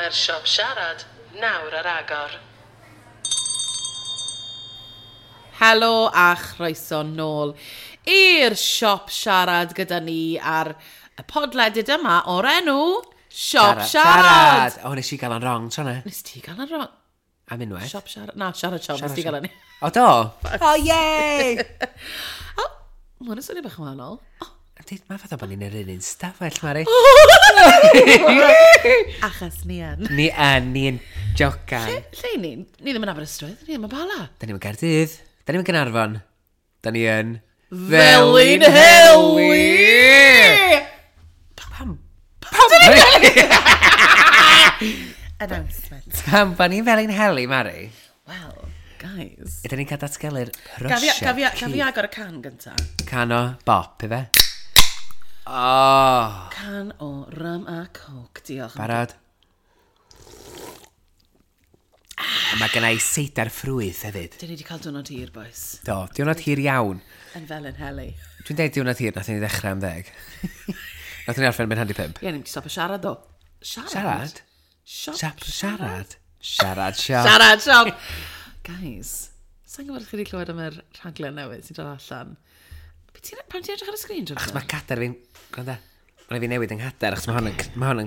Mae'r siop siarad nawr ar agor. Helo a chroeso nôl i'r siop siarad gyda ni ar y podledydd yma o'r enw Siop Siarad. O, nes i gael o'n wrong, tro na. Nes ti gael o'n wrong? Am unwaith. Siop Siarad. Na, Siarad Siop, nes ti gael o'n... O, do? O, yay! O, mae hwn yn swnio bach yn wahanol. O. Mae fatha bod ni'n yr un un stafell, Mari. Achos ni yn. Ni yn, ni yn jocan. Lle, lle ni? Ni ddim yn Aberystwyth, ni ddim yn Bala. Da ni'n Gaerdydd. Da ni'n Gaernarfon. Da ni yn... Felin Heli! Pam? Pam? Announcement. Pam bod ni'n Felin Heli, Mari? Well, guys. Ydyn ni'n cael datgelu'r prosiect. Gaf fi agor y can gynta? Can o bop, ife? Oh. Can o rum a coke, diolch. Barod? A mae gen i seidar ffrwyth hefyd. Dyn ni wedi cael diwrnod hir, boys. Do, diwrnod hir iawn. Yn fel yn heli. Dwi'n deud diwrnod hir, nath ni ddechrau am 10. Nath ni orffen yn 4:35. Ie, ni'n mynd i stopio siarad, o. Siarad? Siarad? Siop. Siap, siarad. Siarad, siop. Siarad, siop. Guys, sa'n gwybod chi wedi clywed am yr rhaglen newydd sy'n dod allan? Pam ti'n edrych ar y sgrin, Jonathan? Achos mae cadair fi'n... Gwranda. Mae'n fi newid yng nghadair, achos mae hon yn, ma hon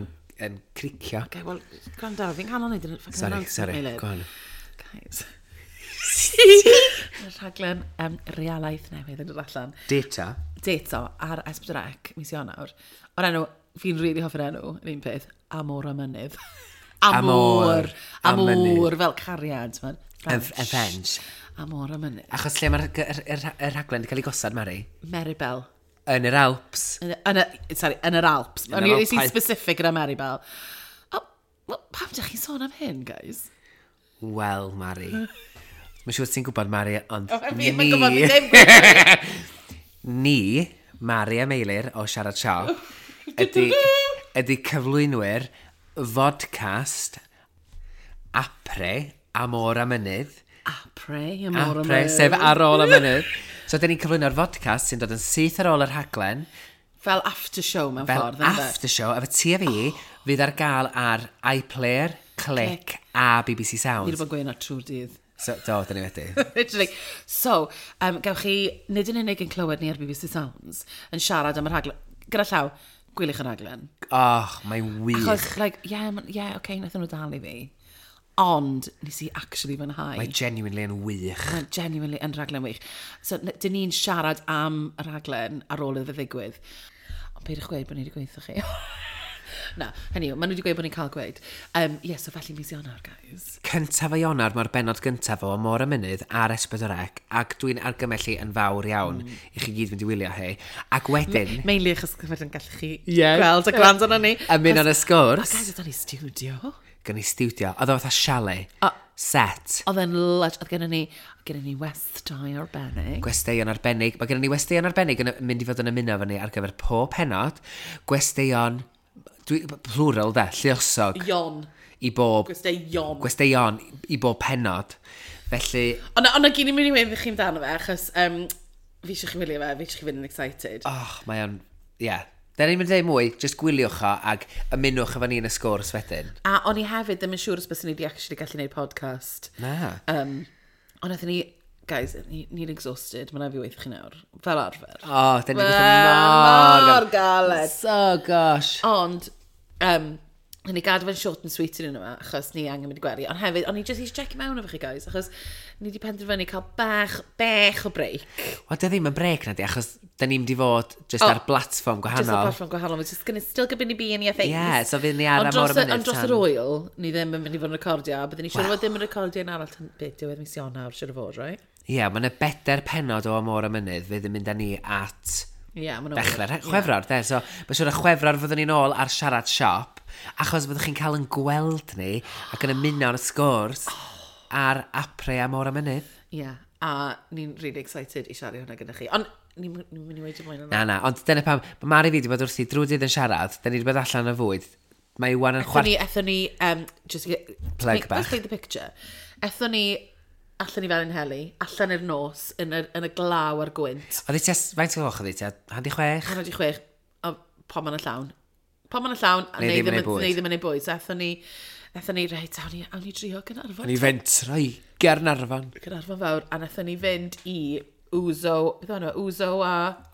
yn cricio. Okay, wel, gwranda, fi'n canol neud yn fucking Sorry, announcement, sorry, Meilir. go on. Guys. Mae'r rhaglen realaeth newydd yn dod allan. Data. Data ar S4C, mis Ionawr. O'r enw, fi'n rili really hoffi'r enw, yr un peth, Amor a Mynydd. Amor Amor. a mynydd. Amor, fel cariad. Yn Yn French. Amor a Mynydd. Achos lle mae'r rhaglen wedi cael ei gosod, Mari? Meribel. Yn yr Alps. Yn, sorry, yn yr Alps. Yn O'n yr i nes i'n Alpau. specific gyda Meribel. Oh, well, pam dych chi'n sôn am hyn, guys? Wel, Mari. Mae'n siŵr ti'n gwybod, Mari, ond Fi ddim yn gwybod, fi ddim gwybod. Ni, Mari a Meilir o Siarad Siop, ydy cyflwynwyr vodcast Apre, Amor a Mynydd. Apre, Amor a Apre, Mynydd. sef ar ôl y mynydd. So, dyn ni'n cyflwyno'r vodcast sy'n dod yn syth ar ôl yr rhaglen. Fel after show mewn Fel ffordd, ynde? after show, efo ti a fi, fydd ar gael ar iPlayer, Click a BBC Ni wedi Sounds. bod yn gweud yna trwy'r dydd. So, do, dyn ni wedi. Literally. So, gewch chi, nid yn unig yn clywed ni ar BBC Sounds, yn siarad am y rhaglen. Gyda llaw, gwyliwch y rhaglen. Oh, mae'n wych. Achos, like, yeah, yeah, okay, nathon nhw dal i fi. Ond, nes i actually fwynhau. Mae genuinely yn wych. Mae'n genuinely yn rhaglen wych. So, dyn ni'n siarad am y rhaglen ar ôl iddo fe ddigwydd. Ond peidiwch gweud bod ni wedi gweithio chi. Na, hynny yw, maen nhw wedi gweud bod ni'n cael gweud. Yeah, so felly mis Ionawr, guys. 1 o Ionawr, mae'r bennod gyntaf o Amor y Mynydd ar S4C, ac dwi'n argymell hi yn fawr iawn i chi gyd fynd i wylio hi. Ac wedyn, Mainly achos wedyn gallech chi Ie. gweld a gwrando arno ni. ymuno yn y sgwrs, Guys, oedd ni studio. gan i studio, oedd o fatha chalet, set, Oedd e'n lush, oedd gennym ni westai arbennig. gwesteion arbennig. Mae gennym ni westeion arbennig yn mynd i fod yn ymuno efo ni ar gyfer pob pennod. Gwesteion, plural de, lluosog. Ion. I bob, Gwesteion. gwesteion i bob pennod. Felly, Ond na gyd i'n mynd i weud chi amdano fe, achos fi eisiau chi wylio fe, fi eisiau chi fynd yn excited. oh, mae o'n, ie. Yeah. Da ni'n mynd i ddeud mwy, just gwyliwch o ac ymunwch efo ni yn y sgwrs wedyn. A o'n i hefyd ddim yn siŵr os byswn ni wedi actually gallu gwneud podcast. Na. Ond nathon ni, guys, ni'n exhausted, mae'n fi weithio chi nawr, fel arfer. O, oh, da ni'n gweithio mor... Mor galed. So, gosh. Ond, ni gadw fe'n short and sweet yn yma, achos ni angen mynd i gwely. Ond hefyd, o'n i just eisiau check mewn efo chi, guys, achos ni wedi penderfynu cael bach o break. Wel, dy ddim yn brec na di, achos da ni'n mynd i fod just ar platfform Just ar gwahanol. platfform gwahanol. We're just gonna still gonna be in your face. Ie, so fydd ni ar Ond am o'r dros y- mynydd Ond dros yr oel, ni ddim yn mynd i fod yn recordio, a byddwn ni siŵr o fod ddim yn recordio yn arall tan beth diwedd mis Ionawr, siŵr o fod, right? Ie, yeah, mae yna 4 pennod o Amor y Mynydd fydd yn mynd â ni at Ie, yeah, ma'n dechrau Chwefror, de. So, mae'n siŵr y Chwefror fyddwn ni'n ôl ar Siarad Siop, achos fyddwch chi'n cael yn gweld ni ac yn ymuno yn y sgwrs ar Apre Amor y Mynydd. Ie, yeah, a ni'n really excited i siarad hwnna gyda chi. Ond ni'n mynd i weud mwy na. Na, na, ond dyna pam, mae Mari fi wedi bod wrthi drwy dydd yn siarad, da ni wedi bod allan y fwyd. Mae Iwan yn Ethon chwar... ni, ethon ni, just to Plug bach. Let's paint the picture. Ethon ni allan i Felin Heli, allan i'r nos, yn y glaw a'r gwynt. Oedd hi tua, faint o gloch oedd hi tua? 5:30? 5:30, a pom yn y llawn. Pom yn y llawn, a Neu neu ddim yn ddim ei bwyd. neu ddim yn ei bwyd. So ethon ni, Nethon ni, reit, awn ni drio Gaernarfon. Awn ni fentro i Gaernarfon. Gaernarfon fawr, a nethon ni fynd i Ouzo, beth o'n Ouzo a...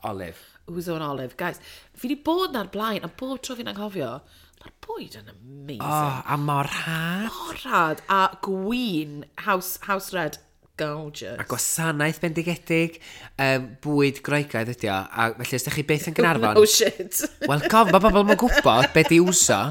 Olive. Ouzo and Olive. Guys, fi wedi bod na'r blaen, a bob tro fi'n anghofio, mae'r bwyd yn amazing. Oh, a mor rhad. Mor rhad, a gwyn, house red, gorgeous. A gwasanaeth bendigedig, bwyd Groegaidd ydi o, a felly os ydych chi byth yn Gaernarfon... No shit. Wel, cof, mae bobl yn gwybod beth di Ouzo.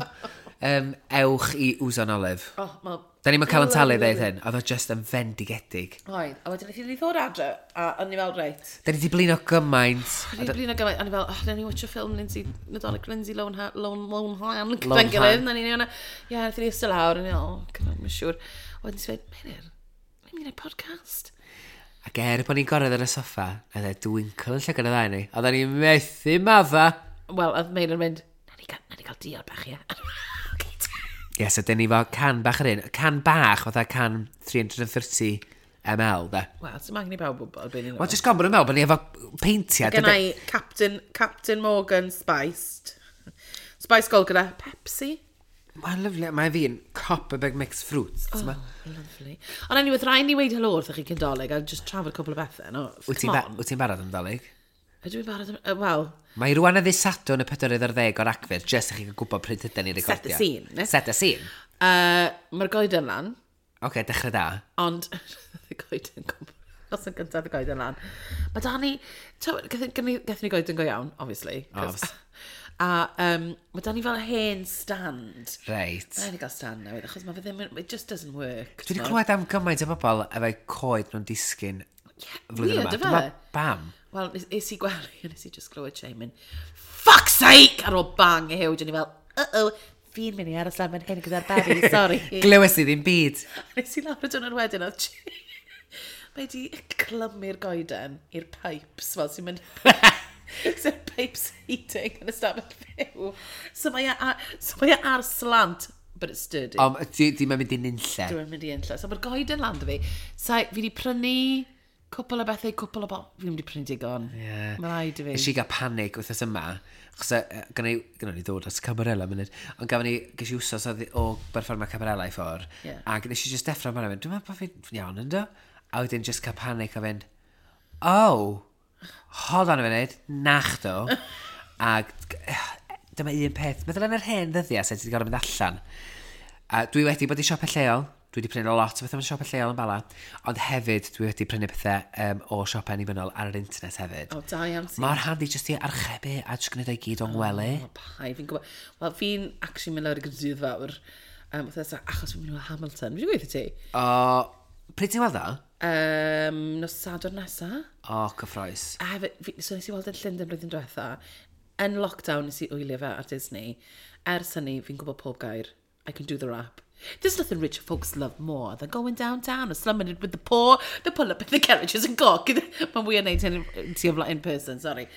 Ewch i Ouzo and Olive. Oh, ma... Da ni'n cael yn talu ddeud hyn, oedd o just yn fendigedig. Oedd, a wedyn wnaethon ni ddod adre, a o'n i fel, reit. Da ni wedi blino gymaint. O'n i blino gymaint, o'n i fel, oh, nawn ni watch a ffilm Lindsay, Nadolig Lindsay Lohan, Lohan, gyda'n gilydd, nawn ni hwnna. Ie, wnaethon ni eistedd lawr, o'n i fel, oh, mae'n siŵr. Wedyn nes i ddweud, Meilir, ni'n mynd i wneud podcast. Ac er bod ni'n goredd ar y soffa, nath e dwinkle yn llygad y ddau ni. Oedden ni'n methu madda. Wel, oedd Meilir yn mynd, nawn ni gael diod bach, ie. Ie, so dyn ni fo can bach yr un. Can bach, fatha can 330 ml, de. Wel, sy'n angen i bawb wybod beth ni'n Wel, jyst gofyn bod nhw'n meddwl bod ni efo peintiad. Gen i Captain Morgan Spiced. Spice Gold gyda Pepsi. Mae'n lyfli, mae fi'n cop a big mixed fruits. Oh, lovely. Ond anyway, rhaid ni weid helo wrthych chi cyn Dolig a just trafod cwpl o bethau. No, Wyt ti'n barod am Dolig? Ydw i'n barod am... Wel... Mae rwan y ddydd Sadwrn y 40 o Ragfyr, jyst i chi gwybod pryd ydyn ni'n recordio. Set the scene. Ne? Set the scene. Mae'r goeden lan. Oce, okay, dechrau da. Ond, y goeden, noson gyntaf y goeden lan. Mae da ni... Gathon ni goeden go iawn, obviously. Obs. A mae da ni fel hen stand. Reit. Mae ni gael stand newydd, achos mae fe ddim... It just doesn't work. Dwi wedi clywed am gymaint o bobl efo'i coed nhw'n disgyn flwyddyn yma. Weird, yfe? Bam. Wel, es i gwely, a nes i just glywed Shane mynd, fuck's sake! Ar ôl bang i huge, o'n i fel, uh-oh, fi'n mynd i aros lan fan hyn gyda'r babi, sorry. Glywes i ddim byd. Nes i lawr y diwrnod wedyn, oedd mae di clymu'r goeden i'r pipes, fel sy'n mynd... Sy'n pipes heating yn y stafell fyw. So mae e ar slant, but it's sturdy. Ond di mae'n mynd i nunlle. Dwi'n mynd i nunlle. So mae'r goeden lan 'da fi. So, fi wedi prynu cwpl o bethau, cwpl o bo... Fi wedi prynu digon. Yeah. Mae rhaid i fi. Nes i gael panic wythnos yma, achos gynna ni ddod at Camarella munud, ond gafon ni, ges i wsos o berfformio Camarella i ffwr, yeah. Ac nes i just deffro amdano, dwi'n meddwl bod fi'n iawn ynddo? A wedyn just cael panic a fynd, oh, hold on a minute, nachdo. Ac dyma un peth, meddwl yn yr hen ddyddiau sut ti wedi gorfod mynd allan. A dwi wedi bod i siopau lleol, dwi wedi prynu lot o bethau mewn siopau lleol yn Bala, ond hefyd dwi wedi prynu pethau o siopau annibynnol ar yr internet hefyd. O, da iawn ti. Mor handi jyst i archebu a jyst gwneud o'i gyd o'n gwely. O, pai, fi'n gwybod. Wel, fi'n actually mynd lawr i Gaerdydd fawr. Achos fi'n mynd i Hamilton. Fi'n gweithio ti? O, pryd ti'n weld o? Nos Sadwrn nesa. O, cyffroes. A hefyd, so nes i weld yn Llundain blwyddyn diwetha. Yn lockdown nes i wylio fe ar Disney. Ers hynny, fi'n gwybod pob gair. I can do the rap. There's nothing rich folks love more than going downtown and slumming it with the poor, they pull up in the carriages and gawk. Mae'n fwy yn neud hyn ti o flaen in person, sorry.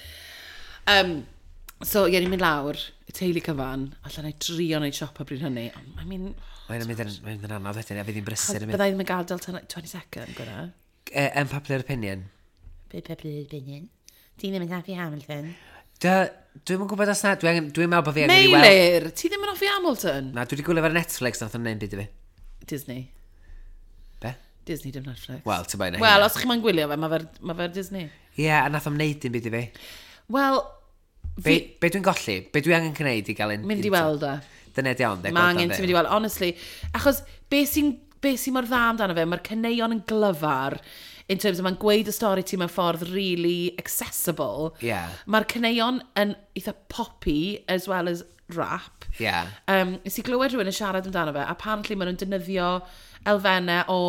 So, ie, ni'n mynd lawr, y teulu cyfan, allan i drio wneud siopa bryd hynny. I mean... Mae'n mynd yn anodd wedyn, a fydd hi'n brysur yn mynd. Byddai ddim yn gadael tan 22nd, gwna. Unpopular opinion. Popular opinion. Ti ddim yn hoffi Hamilton. Dwi'm yn gwybod os na, dwi'n meddwl bod fi angen i weld... Meilir, ti ddim yn hoffi Hamilton? Na, dwi wedi gwylio ar Netflix, nath o'n neud byd i fi. Disney. Be? Disney dim Netflix. Wel, ti'n bain Wel, os chi'n moyn gwylio fe, mae fe'r Disney. Ie, yeah, a nath o'n neud dim byd i fi. Wel... Be dwi'n golli? Be dwi angen gwneud i gael un... Mynd i weld e. Dyna di iawn, de. Mae angen ti'n mynd i weld, honestly. Achos, be sy'n mor dda amdano fe, mae'r caneuon yn glyfar, in terms of mae'n gweud y stori ti mewn ffordd really accessible. Yeah. Mae'r caneuon yn eitha poppy as well as rap. Yeah. Nes i glywed rhywun yn siarad amdano fe, apparently maen nhw'n defnyddio elfennau o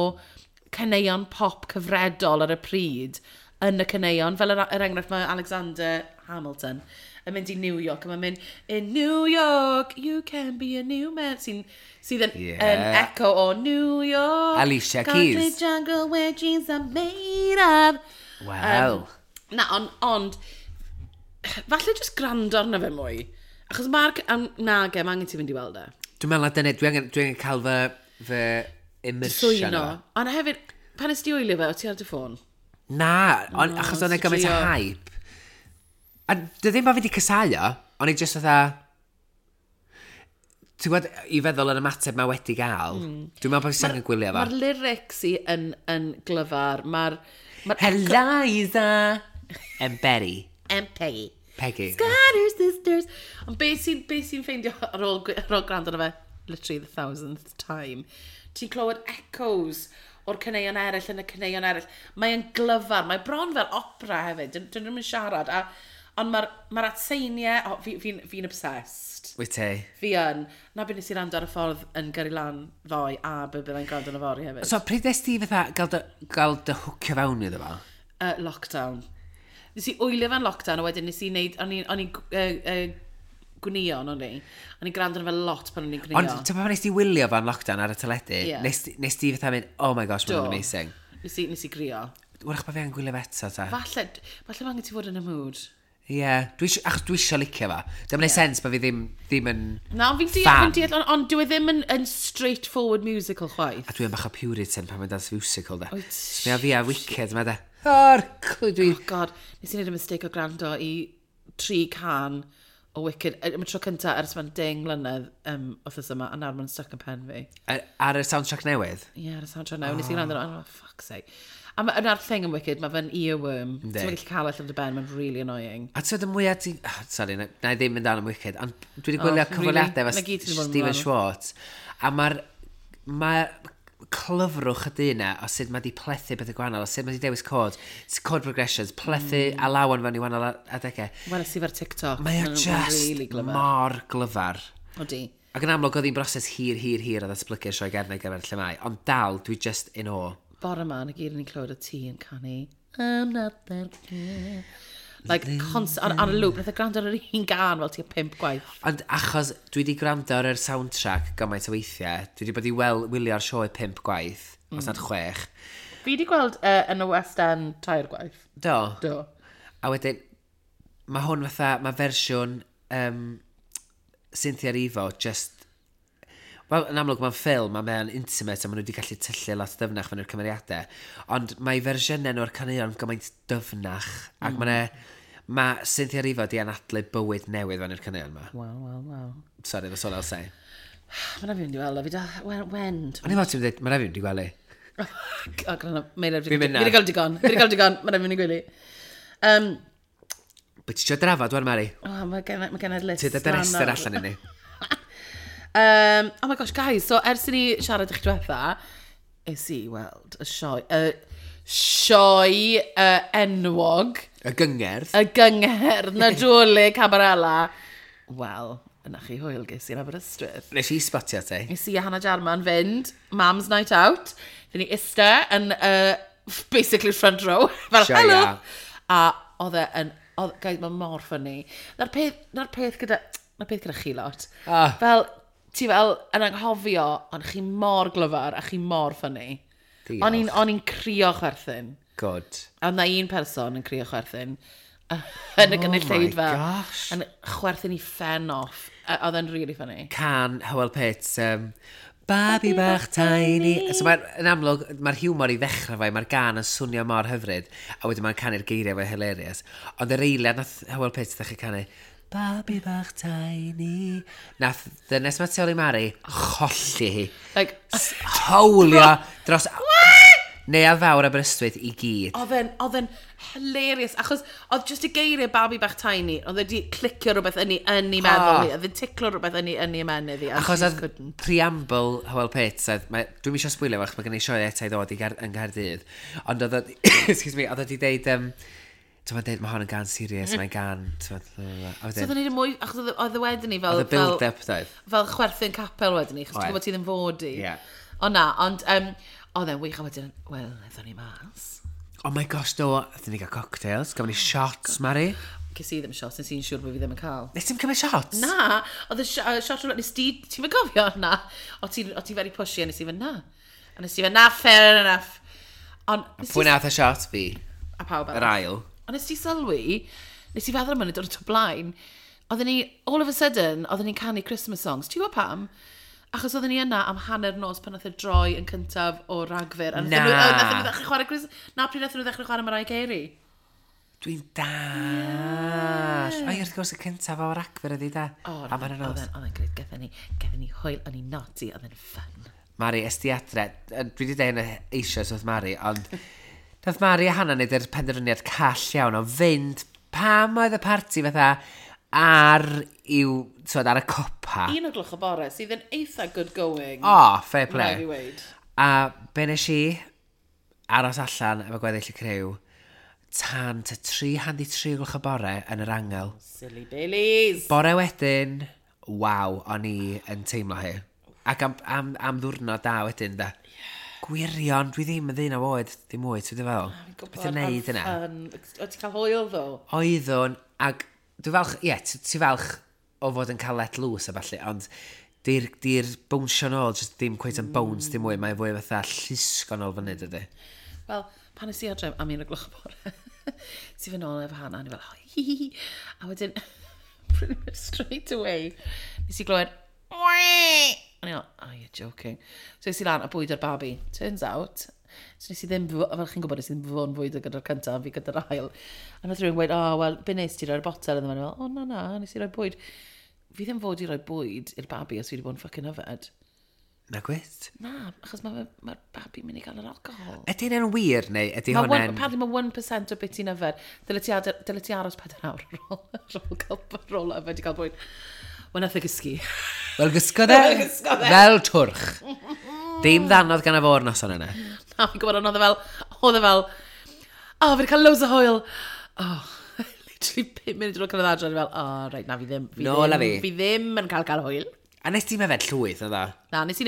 caneuon pop cyfredol ar y pryd yn y caneuon. Fel er enghraifft mae Alexander Hamilton yn mynd i New York, a mae'n mynd, in New York, you can be a new man, sydd yn, yn echo o New York. Alicia Keys. Concrete jungle where dreams are made of. Wel. Na, ond, falle just gwrando arno fe mwy. Achos mae'r... Nage, mae angen ti fynd i weld e. Dwi'n meddwl na dyna, dwi angen cael fy immersion. Swyno. Ond hefyd, pan ys di wylio fe, o ti ar dy ffôn? Na, achos o'n e gymaint o hype. A dy ddim bod fi wedi casau o, o'n i just fatha... Ti'n gwybod, i feddwl yr ymateb mae wedi gael, dwi'n meddwl bod fi angen gwylio fo. Mae'r lyrics i yn glyfar. Mae'r... Ma Eliza and Betty. And Peggy. Peggy. Scatter Sisters. Ond be sy'n be sy ffeindio ar ôl gwrando arno fe, literally the thousandth time, ti'n clywed echoes o'r caneuon eraill yn y caneuon eraill. Mae'n glyfar, mae bron fel opera hefyd, dyn nhw'n siarad. A, ond mae'r ma atseiniau, oh, fi obsessed. Wyt ti? Fi yn. Na beth nes i rando ar y ffordd yn gyrru lan ddoe a be byddai'n gwrando yn y fory hefyd. So, pryd nes ti fatha gael dy hwcio fewn iddo fo? Lockdown. Nes i wylio fe'n lockdown a wedyn nes i wneud, o'n i'n gwnio, o'n i. O'n i'n gwrando arno fe lot pan o'n i'n gwnio. Ond, ti'n pan nes ti wylio fo'n lockdown ar y teledu, Ie. nes ti fatha mynd, "Oh my gosh, mae'n Do. amazing." Nes i grio. Wrach bod fi angen gwylio fe eto, ta. Falle mae angen ti fod yn y mood. Ie, yeah, achos dwi isio licio fo. Dwi'n gwneud sens bod fi ddim yn Na, fi'n deall, fan. fi'n deall, ond dyw e ddim yn straightforward musical chwaith. A dwi'n bach o puritan pan mae'n dance musical, da. Wyt. Mae o fi a Wicked, mae da. O'r, dwi. Oh God, nes i wneud y mistake o gwrando i tri can o Wicked. Am y tro cynta ers mae'n 10 mlynedd wythnos yma, a nawr mae'n stuck yn pen fi. Ar y soundtrack newydd? Ie, yeah, ar y soundtrack newydd. Nes i gwrando, oh, fuck's sake. A yna'r thing yn Wicked, mae fe'n earworm. Yndi. Ti'n gallu cael allan o dy ben, mae'n really annoying. A ti'n y mwyaf ti... Oh, sorry, na i ddim mynd down am Wicked, ond dwi wedi gwylio Oh, cyfweliadau really? efo Na gyd ti 'di bod yn Stephen meddwl. Schwartz, a mae'r mae clyfrwch y dyn na o sut mae di plethu bethau gwahanol, o sut mae di dewis chord, chord progressions, plethu alawon fewn i wahanol adegau. Weles i fe'r TikTok. Mae o Ma'n just really glyfar. mor glyfar. Odi. Ac yn amlwg oedd hi'n broses hir, hir, hir o ddatblygu'r sioe gerdd ar gyfer lle mae, ond dal, dwi just in awe. Bore yma, na gyd yn ni'n clywed y tŷ yn canu "I'm not that girl." Like, ar y loop, nath e gwrando ar yr un gan fel tua pump gwaith. Ond achos dwi wedi gwrando ar yr soundtrack gymaint o weithiau, dwi wedi bod i wylio'r sioe pump gwaith, os nad chwech. Fi wedi gweld yn y West End tair gwaith. Do. Do. A wedyn, mae hwn fatha, mae fersiwn Cynthia Erivo just... Wel, yn amlwg mae'n ffilm a mae'n intimate a maen nhw wedi gallu tyllu lot dyfnach fewn i'r cymeriadau. Ond mae fersiynau nhw o'r caneuon gymaint dyfnach. Ac mae Cynthia Erivo di anadlu bywyd newydd fewn i'r caneuon yma. Wel. Sorry, that's all I'll say. Mae'n rhaid fi mynd i weld o, fi da, when? When? O'n i'n meddwl ti'n dweud, mae'n rhaid fi mynd i gwely. O, gwrando, mae'n rhaid Fi'n mynd fi wedi cael digon, fi wedi cael digon, mae'n rhaid fi mynd i gwely. Be ti eisiau drafod, wan, Mari? Oh, mae gen i'r list. Ti dod yr lan rhestr nawr. allan i ni. Oh my gosh, guys, so ers i ni siarad eich diwetha, es i weld y sioe enwog, Y gyngerdd. y gyngherdd Nadolig Cabarella. Wel, yna chi hwyl ges i yn Aberystwyth. Nes i spotio ti. Nes i a Hannah Jarman fynd, Mam's Night Out. Dyn ni ista yn basically front row. Fel, Joia. hello! A oedd e yn, oedd, guys, mae mor funny. Na'r peth gyda chi lot. Ah. Fel, ti fel yn anghofio, ond chi mor glyfar a chi mor funny. Diolch. O'n i'n crio chwerthin. Good. A oedd na un person yn crio chwerthin yn y gynulleidfa. Oh my gosh. Yn chwerthin i ffen off. A oedd e'n really funny. Can Hywel Pitts, "Babi bach tiny." So mae'n yn amlwg, mae'r hiwmor i ddechrau fe, mae'r gan yn swnio mor hyfryd, a wedyn mae'n canu'r geiriau fe hilarious. Ond yr eiliad nath Hywel Pitts ddechrau canu, "Babi bach tiny." Nath ddynes ma tu ôl i Mari cholli hi. Like, Howlio dros Neuadd Fawr Aberystwyth i gyd. Oedd e'n hilarious, achos oedd just y geiriau "babi bach tiny", oedd e wedi clicio rhywbeth yn ei meddwl Ah. hi, oedd e'n ticlo rhywbeth yn ei ymennydd hi, and Achos she just oedd couldn't. preamble Hywel Pitts, oedd, dwi'm eisiau sbwylio fo, achos mae gen i sioe eto i ddod i yng Nghaerdydd, ond oedd o, excuse me, oedd o wedi deud, ti'n deud, mae hon yn gan serious, mae'n gan, ti'n a So oedd wedyn, e'n neud y mwy, achos oedd e wedyn ni fel oedd y build-up, doedd. fel chwerthin capel wedyn ni, achos ti'n Oedd. gwybod ti ddim fod i. Ie. O na, ond oedd e'n wych, a wedyn, wel, aethon ni mas. Oh my gosh, do, aethon ni gael cocktails, gafon ni shots, Mari. Ces i ddim shots, nes i'n siŵr bod fi ddim yn cael. Nes ti'n cymryd shots? Na, oedd y shot roulette, nes di, ti'n mynd gofio na? O ti very pushy, a nes i fynd na. A nes i fynd na, fair enough. Ond, nes Pwy i, nath y shot? Fi. a pawb Yr arall. ail. Ond nes ti sylwi, nes i feddwl am hynny dod o blaen, oedden ni, all of a sudden, oedden ni'n canu Christmas songs. Ti'n gwybod pam? Achos oedden ni yna am hanner nos pan nath e droi yn cyntaf o Ragfyr. A Na. nathon nhw ddechrau chwarae Christmas. Na, pryd nathon nhw ddechrau chwarae Mariah Carey. Dwi'n dall. Oh, you're wrth gwrs y cyntaf o'r Ragfyr ydi da. O, A ma'n oedd e'n grêt. Gaethon ni hwyl, o'n i'n naughty, oedd e'n fun. Mari, es di adre, dwi wedi dweud hynna eisoes wrth Mari, ond nath Mari a Hannah wneud yr penderfyniad call iawn o fynd pam oedd y parti fatha ar i'w, twod, ar y copa. 1 o'r gloch y bore, sydd yn eitha good going. O, fair Rhaid i play. weud. A be nes i aros allan efo gweddill y criw tan ta 2:37 o'r gloch y bore yn yr angel. Silly Billies. Bore wedyn, waw, o'n i yn teimlo hi. Ac am ddwrnod da wedyn, da. Gwirion, dwi ddim yn ddyn o oed, ddim mwy, ti'n fel? Beth yn neud yna? O, ti'n cael hwyl, ddo? Oeddwn, ac dwi falch, ie, yeah, ti falch o fod yn cael let loose a falle, ond di'r di bownsio nôl, just ddim cweit yn bounce dim mwy, mae'n fwy fatha llusgo nôl fyny, dydy. Wel, pan es i adre am 1 o'r gloch y bore, si fy nôl efo Hannah, a ni fel, oh, hi, hi, hi. A wedyn, pretty much straight away, nes i glywed, "Wee!" A ni fel, "Oh, you're joking." So es i lan a bwyd o'r babi. Turns out, so nes i ddim, fel chi'n gwybod, nes i ddim fod yn fwyd gyda'r cyntaf, fi gyda'r ail. A nath rhywun gweud, "Oh, wel, be nes ti roi'r botel iddo fe?" A ni fel, "Oh, na, na, nes i roi bwyd." Fi ddim fod i roi bwyd i'r babi os fi wedi bod yn fucking yfed. Na gwyt? Na, achos mae'r ma babi mynd i gael yr alcohol. Ydy hynny'n wir, neu ydy Mae one, hwnna'n apparently mae 1% o beth ti'n yfed. Dyle ti aros 4 awr ar ôl yfed i gael bwyd. Wel, nath e gysgu. Wel, gysgodd e Wel, gysgodd e. fel twrch. Dim ddannodd gan y fo'r noson yna. Na, fi'n gwybod, ond oedd e fel, "Oh, fi wedi cael loads o hwyl." Oh, literally 5 munud ar ôl cyrraedd adre, o'n i fel, "Oh, right, na, fi ddim, fi Nôl â ddim, fi. fi ddim yn cael hwyl." A nes ti'n yfed llwyth, oedd o? Na, nes i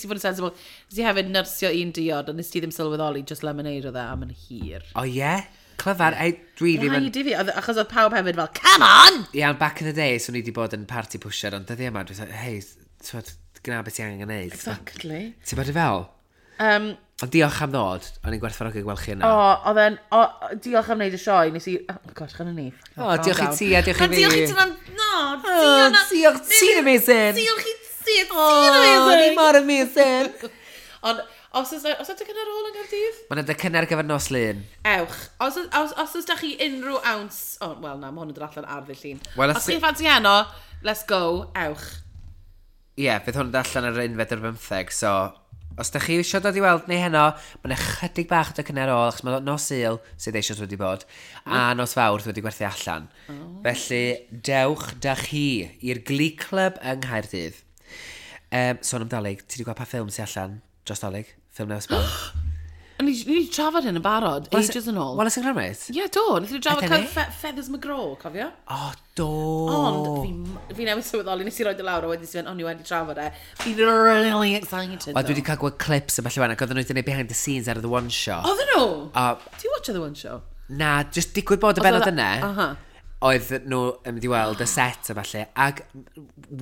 fod yn sensible. Nes i hefyd nyrsio un diod, ond nes ti ddim sylweddoli, just lemonade oedd e am yn hir. O ie? Clyfar, ei, dwi ddim yn Rhaid i fi, achos oedd pawb hefyd fel, "Come on!" Iawn, back in the day, swn i wedi bod yn party pusher, ond dyddi yma, dwi'n dweud, "Hei, twod, gwna beth ti angen gwneud." Exactly. Ti'n bod i fel? Ond diolch am ddod, o'n i'n gwerthfawrogi gweld chi yna. O, oedd e'n, o, diolch am wneud y sioe, nes i, oh gosh, chana ni. O, diolch i ti a diolch i fi. Diolch i ti, no, O, diolch, ti'n amazing. Diolch i ti, ti'n O, ni amazing. mor amazing. Ond, os oes cynnar ôl yn Caerdydd? Mae'n edrych cynnar gyfer nos Lun. Ewch. Os oes da chi unrhyw ounce. Oh, wel na, mae hwn yn dod allan ar ddydd Llun. Wel, os chi'n ffansi heno, let's go, ewch. Ie, yeah, fydd hwn yn dod allan ar 21, so os da chi eisiau dod i weld ni heno, mae'n ychydig bach o docynnau ar ôl, achos mae nos Sul sydd eisoes wedi bod, a nos Fawrth wedi gwerthu allan. Felly, dewch da chi i'r Glee Club yng Nghaerdydd. Sôn am Dolig, ti wedi gweld pa ffilm sy'n allan dros Dolig? Ffilm newydd sbon? Ni wedi trafod hyn yn barod, ages yn ôl. Wel, ys yn Gromit? Ie, do, wnaethon ni drafod Ydyn ni? Feathers McGraw, cofio? O, do. Ond fi newydd sylweddoli, nes i roid y lawr a wedyn si fynd, "O, ni wedi trafod e." Fi'n really excited, O, dwi wedi cael gweld clips y falle wan, ac oedden nhw wedi gwneud behind the scenes ar The One Show. Oedden nhw? A Do you watch The One Show? Na, just digwydd bod y benod Oedd yna, oedd nhw yn mynd i weld y set a falle, ac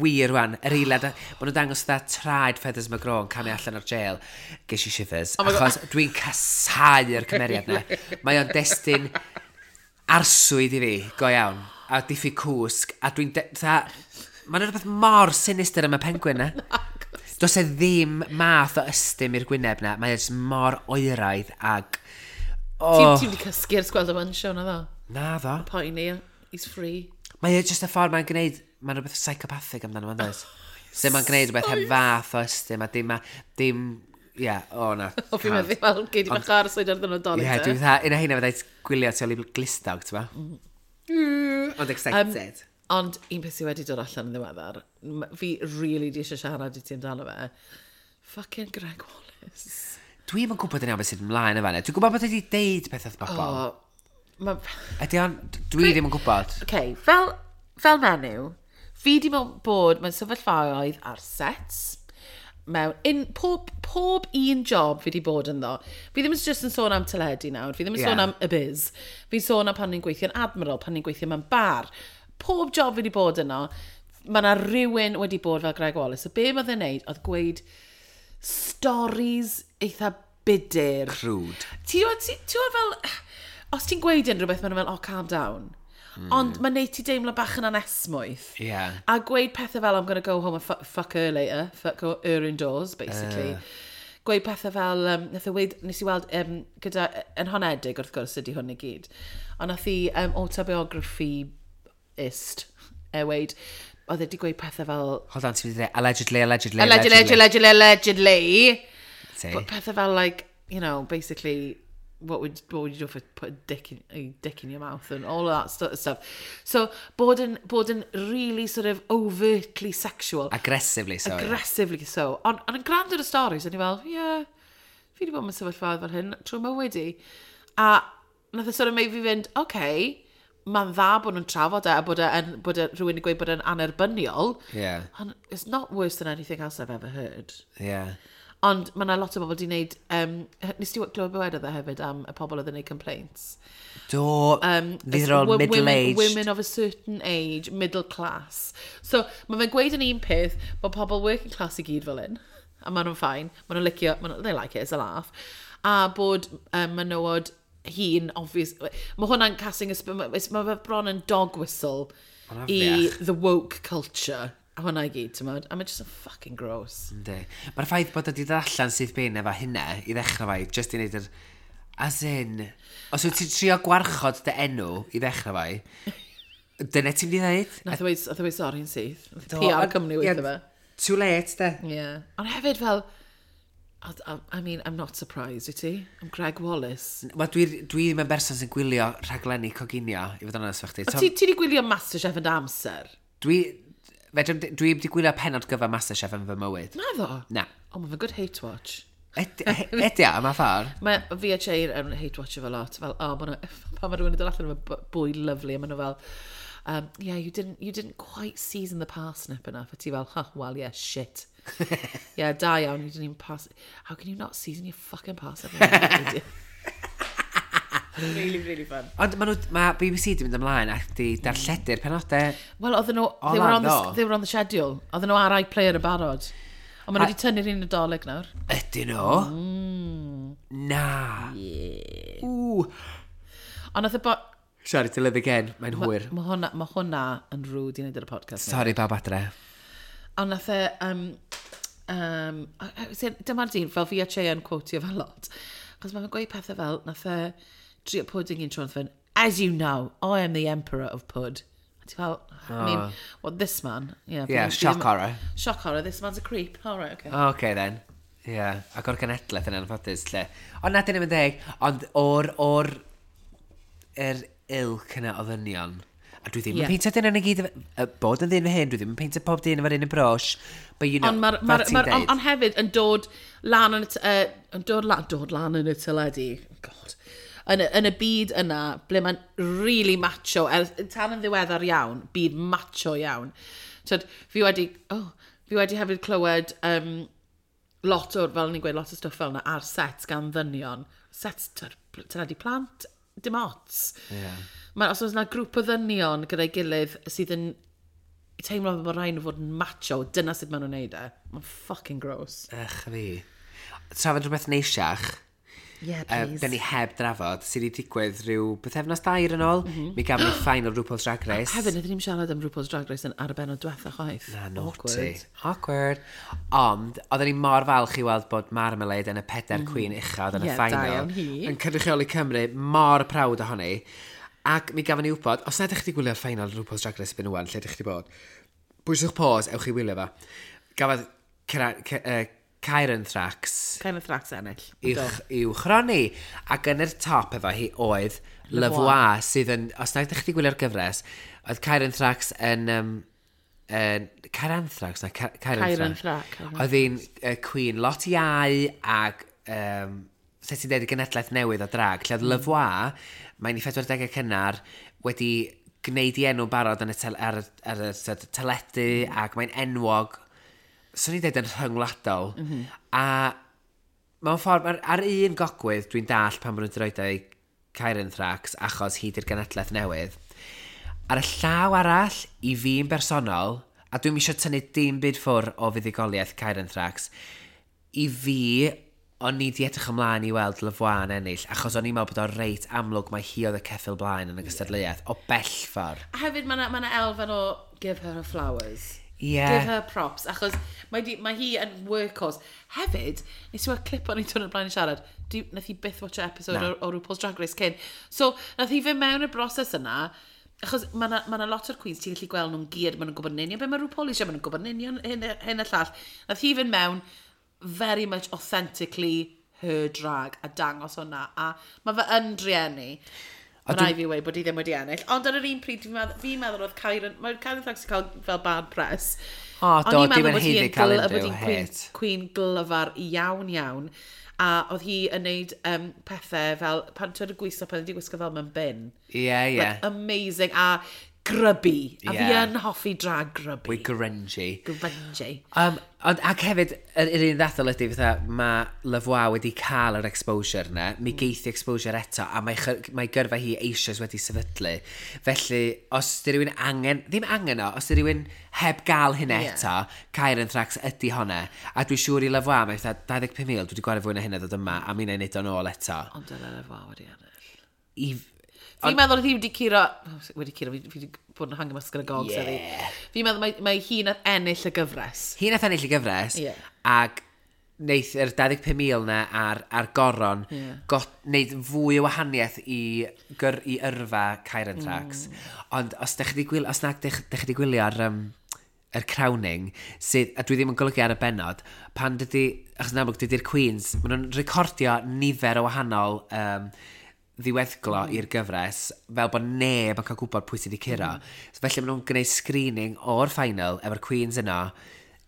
wir rwan, yr eiliad, maen nhw'n dangos dda traed Feathers McGraw yn camu allan o'r jail, ges i shivers, Oh my God. achos dwi'n casau'r cymeriad na. Mae o'n destun arswyd i fi, go iawn, a diffyg cwsg, a dwi'n mae'n rhywbeth mor sinister am y penguin na. Does e ddim math o ystym i'r gwyneb na, mae e jyst mor oeraidd ag Oh, Ti'n wedi cysgu ers gweld y One Show, na ddo? Na ddo. Poeni, he's free. Mae e jyst y ffordd mae'n gwneud, mae'n rhywbeth psychopathic amdano fo'n does? Sut mae'n gwneud rhywbeth heb fath o ystym a dim, ie, yeah, o na. O, fi'n meddwl, fel, gei di bach arswyd ar ddyn Dolig. Ie, yeah, dwi'n dda, un o heina fyddai gwylio tu ôl i glustog, ti'n ba? Ond excited. Ond un peth sydd wedi dod allan yn ddiweddar, fi really di eisiau siarad i ti amdano fe, fucking Greg Wallace. Dwi'm yn gwybod yn iawn beth sydd ymlaen efo fanna. Dwi'n gwybod bod wedi deud peth wrth bobl. O, ma. Ydy o'n, dwi ddim yn gwybod. Okay, fel menyw, fi di bod mewn sefyllfaoedd ar sets, mewn pob un job fi di bod ynddo. Fi ddim yn just yn sôn am teledu nawr, fi ddim yn sôn Ie. am y biz. Fi'n sôn am pan ni'n gweithio yn Admiral, pan ni'n gweithio mewn bar. Pob job fi di bod yno, mae yna rhywun wedi bod fel Greg Wallace. So be mae fe'n neud oedd gweud stories eitha budur. Crude. Ti'n gwbod fel, os ti'n gweud unrhyw beth, maen nhw fel, "Oh, calm down." Ond mae'n neud ti deimlo bach yn anesmwyth. A gweud pethau fel, "I'm gonna go home and fuck her later, fuck her indoors," basically. Gweud pethau fel, nath e weud, nes i weld, gyda, yn honedig wrth gwrs ydy hwn i gyd, ond nath i autobiography ist, e weid, oedd e wedi gweud pethau fel... Hold on, ti'n mynd i ddweud, allegedly, allegedly, Allegedly, allegedly, allegedly. Ti. But pethau fel, like, you know, basically, what would you do if I put a dick in your mouth and all of that stuff. So, bod yn really sort of overtly sexual. Aggressively so. Aggressively so. Ond yn gwrando ar y stories, o'n i fel, yeah, fi wedi bod mewn sefyllfa fel hyn trwy mywyd i. A nath e sort of make fi fynd, okay, mae'n dda bod nhw'n trafod e a bod e, rhywun yn gweud bod e'n anerbyniol. Ond it's not worse than anything else I've ever heard. Ond mae yna lot o bobl wedi gwneud... Nes ti glywed beth wedodd e hefyd am y pobl oedd yn gwneud complaints? Do, these are all middle-aged. Women of a certain age, middle class. So, mae fe'n gweud yn un peth bod pobl working class i gyd fel un. A maen nhw'n fine. Maen nhw'n licio, they like it, it's a laugh. A bod menywod hŷn, obvious... Mae hwnna'n casting, mae fe bron yn dog whistle Ma'n i afiach. the woke culture. A hwnna i gyd, ti'n modd? A mae'n just yn fucking gross. Yndi. Mae'r ffaith bod wedi dod allan sydd bin efo hynna i ddechrau fai, just i wneud yr... As in, os wyt ti'n trio gwarchod dy enw i ddechrau fai, dyna ti'n mynd i ddeud? Nath o weud sori yn syth. Nath Do, PR Cymru ie, weithio fe. Too late, de. Yeah. Ond hefyd fel, I mean, I'm not surprised, wyt ti? I'm Greg Wallace. Wel, dwi ddim yn berson sy'n gwylio rhaglenni coginio, i fod yn onest efo chdi. O, ti di gwylio MasterChef yn dy amser? Dwi wedi gwylio penod gyfa MasterChef yn fy mywyd. Na ddo? Na. Oh, mae'n good hate watch. Ydy o, yma ffordd. Mae fi a Jane yn hate watch efo lot. Fel, oh, ma pan mae rhywun yn dod allan efo bwyd lovely, a maen nhw fel, "Yeah, you didn't quite season the parsnip enough." A ti fel, "Huh, well, yeah, shit. Yeah, da iawn, you didn't even pass. How can you not season your fucking parsnip?" Really, really fun. Ond ma BBC di mynd ymlaen ac di darlledu'r penodau. Wel, oedden nhw, O, they were, on the, lan, do. they were on the schedule. Oedden nhw ar iPlayer yn barod. Ond maen nhw wedi tynnu'r un Nadolig nawr. Ydyn nhw? Na. Yeah. Ww. Ond nath y bo... Sorry to live again, mae'n hwyr. Mae hwnna yn rude i wneud ar y podcast. Sorry bawb adre. Ond nath e... Dyma'r dyn, fel fi a Che yn quotio fel lot. Achos mae'n gweud pethau fel, nath e drio pudding un tro, nath fe'n, "As you know, I am the emperor of pud." A ti fel, I mean, what, this man? Yeah, Yeah, shock horror. Shock horror, this man's a creep. All right, okay. Oh, okay then. Yeah, ac o'r genedlaeth yn anffodus, lle. Ond na, dyn ni'n deg, ond o'r yr ilk yna o ddynion, a dwi ddim yn peintio dyn yn y gyd, bod yn ddyn fy hyn, dwi ddim yn peintio pob dyn efo'r un y brush, but you know, Ond ma'r, fel ma ti'n ma deud. on hefyd yn dod lan yn y, yn dod lan yn y teledu, God, yn y byd yna, ble mae'n really macho, er, tan yn ddiweddar iawn, byd macho iawn. Tyd, fi wedi hefyd clywed lot o'r, fel ni'n gweud, lot o stwff fel yna ar sets gan ddynion. Sets teledu plant, dim ots. Mae, os oes yna grŵp o ddynion gyda'i gilydd sydd yn teimlo fel bod rhaid nhw fod yn macho, dyna sut maen nhw'n neud e. Mae'n fucking gross. Ych fi. Trafod rhywbeth neisiach, Yeah, please. Da ni heb drafod, sydd wedi digwydd rhyw bythefnos dair yn ôl. Mi gafon ni final RuPaul's Drag Race. Hefyd, wnaethon ni'n siarad am RuPaul's Drag Race yn ar y benod diwetha chwaith. Na, naughty. Awkward. Awkward. Ond, oedden ni mor falch i weld bod Marmalade yn y pedair queen uchaf yn y Ie, da final. iawn hi. Yn cynrychioli Cymru, mor proud ohoni. Ac mi gafon ni wybod, os na ydych chi wedi gwylio'r final RuPaul's Drag Race erbyn ŵan, lle ydych chi wedi bod, bwyswch pause, ewch i wylio fo. Gafodd Kyran Thrax Kind of Thrax ennill. I'w chroni. Ac yn yr top efo hi oedd Levois, sydd yn, os na ydych chi wedi gwylio'r gyfres, oedd Kyran Thrax yn... Kyran Thrax, na, Kyran Kyran Thrax. Thrax. Oedd hi'n queen lot iau ac, sut ti'n dweud, y genedlaeth newydd o drag, lle oedd Levois, mae'n i 40au cynnar, wedi gwneud i enw barod yn y tel, ar y sort of teledu ac mae'n enwog, swn i'n dweud yn rhyngwladol. A mewn ffordd, ar un gogwydd, dwi'n dall pan maen nhw'n droed i Kyran Thrax, achos hi di'r genedlaeth newydd. Ar y llaw arall, i fi'n bersonol, a dwi'n eisiau tynnu dim byd ffwr o fuddugoliaeth Kyran Thrax, i fi, o'n i di edrych ymlaen i weld Levois yn ennill, achos o'n i'n meddwl bod o'n reit amlwg mae hi oedd y ceffyl blaen yn y gystadleuaeth, o bell ffordd. A hefyd, mae yna ma elfen o give her her flowers. Ie. Give her props, achos mae hi yn workhorse. Hefyd, nes i weld clip o'n i dod yn blaen i siarad, nath hi byth watch episode Na. o RuPaul's Drag Race cyn. So, nath hi fynd mewn y broses yna, Achos mae yna ma lot o'r queens, ti'n gallu gweld nhw'n geared, maen nhw'n gwybod yn union beth mae RuPaul eisiau, maen nhw'n gwybod yn union hyn, hyn y llall. Nath hi fynd mewn very much authentically her drag a dangos hwnna. A mae fe yn drueni. Mae rhaid fi weud bod hi ddim wedi ennill. Ond ar yr un pryd, fi'n meddwl, fi meddwl oedd Kyron, mae Kyron Thrax wedi cael fel bad press. O, do, O'n i'n dim meddwl yn bod hi haeddu yn cael bod unrhyw hi'n queen, hate. queen glyfar iawn iawn. A oedd hi yn neud pethau fel, pan ti'n gwisgo, pan wedi gwisgo fel mewn bin. Ie, ie. Like, amazing. A grubby. A fi yn hoffi drag grubby. We grungy. Grungy. Ond, ac hefyd, yr un ddathol ydy, fatha, mae Lavoie wedi cael yr exposure na, mi geithi exposure eto, a mae gyrfa hi eisoes wedi sefydlu. Felly, os di rhywun angen, ddim angen o, os di rhywun heb gael hynna eto, Kyron Thrax ydy honna. A dwi'n siŵr i Lavoie, mae fatha 25,000, dwi wedi gwario fwy na hynna ddod yma, a mi wna i neud o'n ôl eto. Ond dyle Lavoie wedi ennill. I, Fi'n meddwl oedd hi wedi curo... Wedi curo, fi wedi bod yn hangio mas gyda gogs yeah. Fi'n meddwl mae hi nath ennill y gyfres. Hi nath ennill y gyfres, ac wneith yr 25,000 na ar goron got, wneud fwy o wahaniaeth i yrfa Kyron Thrax. Ond os dych chi 'di gwylio, os nag dych chi 'di gwylio ar yr crowning, sydd, a dwi ddim yn golygu ar y bennod, pan dydy, achos yn amlwg dydy'r Queens, maen nhw'n recordio nifer o wahanol ddiweddglo i'r gyfres, fel bod neb yn cael gwybod pwy sydd wedi curo. So, felly maen nhw'n gwneud screening o'r final efo'r Queens yno,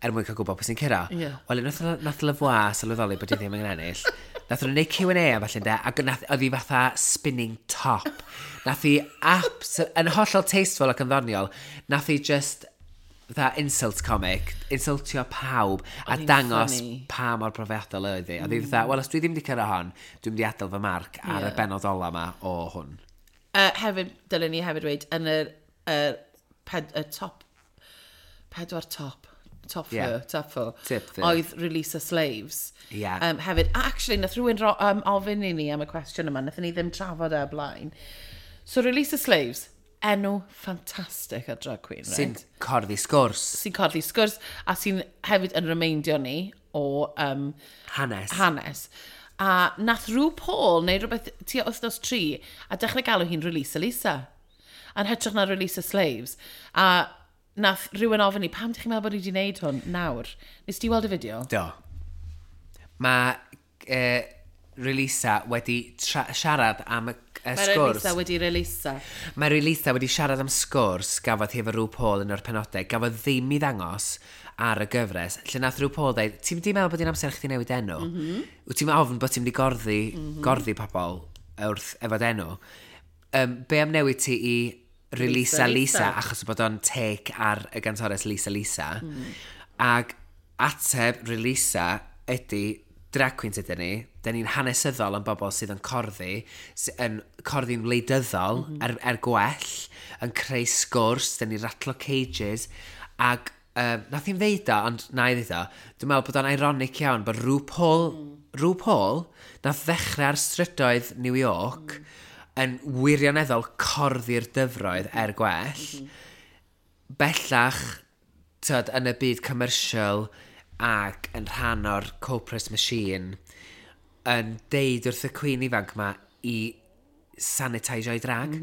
er mwyn cael gwybod pwy sy'n curo. Wel, unwaith nath Lavoie sylweddoli bod hi ddim yn ennill, nath nhw'n gwneud Q&A a falle, ynde, ac oedd hi fatha spinning top. Nath hi yn hollol tasteful ac yn ddoniol, nath hi just fatha insult comic, insultio pawb, a Oedd hi'n dangos funny. pa mor profiadol oedd hi. Oedd hi fatha, wel, os dwi ddim wedi cyrra hon, dwi'n mynd i adael fy marc ar y bennod ola ma o hwn. Hefyd, dylen ni hefyd dweud, yn y top, pedwar top, top four, top four, Tip four. oedd Release the Slaves. Ie. Hefyd, actually, nath rhywun ofyn i ni am y cwestiwn yma, nath ni ddim trafod e o blaen. So, Release the Slaves, enw ffantastig ar drag queen, right? Sy'n corddi sgwrs. Sy'n corddi sgwrs, a sy'n hefyd yn remeindio ni o Hanes. hanes. A nath RuPaul neu rhywbeth tua wythnos 3 a dechrau galw hi'n Release Lisa. A'n hytrach na Release the Slaves. A nath rhywun ofyn i, pam dych chi'n meddwl bod hi wedi gwneud hwn nawr? Nes ti weld y fideo? Do. Mae Relisa wedi siarad am y Mae sgwrs. Relisa wedi Relisa. Mae Relisa wedi siarad am sgwrs gafodd hi efo RuPaul yn o'r penodau, gafodd ddim i ddangos ar y gyfres, lle nath RuPaul dweud, ti'n mynd i meddwl bod hi'n amser chdi newid enw? Wyt ti'n ofn bod ti'n mynd i gorddi pobl wrth efo enw? Be am newid ti i Relisa Lisa, Lisa, Lisa, achos bod o'n take ar y gantores Lisa Lisa. Ac ateb Relisa ydy drag queens ydyn ni, dyn ni'n hanesyddol yn bobl sydd yn corddi, yn corddi'n wleidyddol er gwell, yn creu sgwrs, dyn ni'n ratlo cages, ac nath hi'm ddeud o, ond na i ddeud o, dwi'n meddwl bod o'n ironic iawn bod RuPaul, nath ddechrau ar strydoedd New York, yn wirioneddol corddi'r dyfroedd er gwell, bellach, tyd, yn y byd commercial ac yn rhan o'r corporate machine, yn deud wrth y queen ifanc ma i sanitiseio'i drag.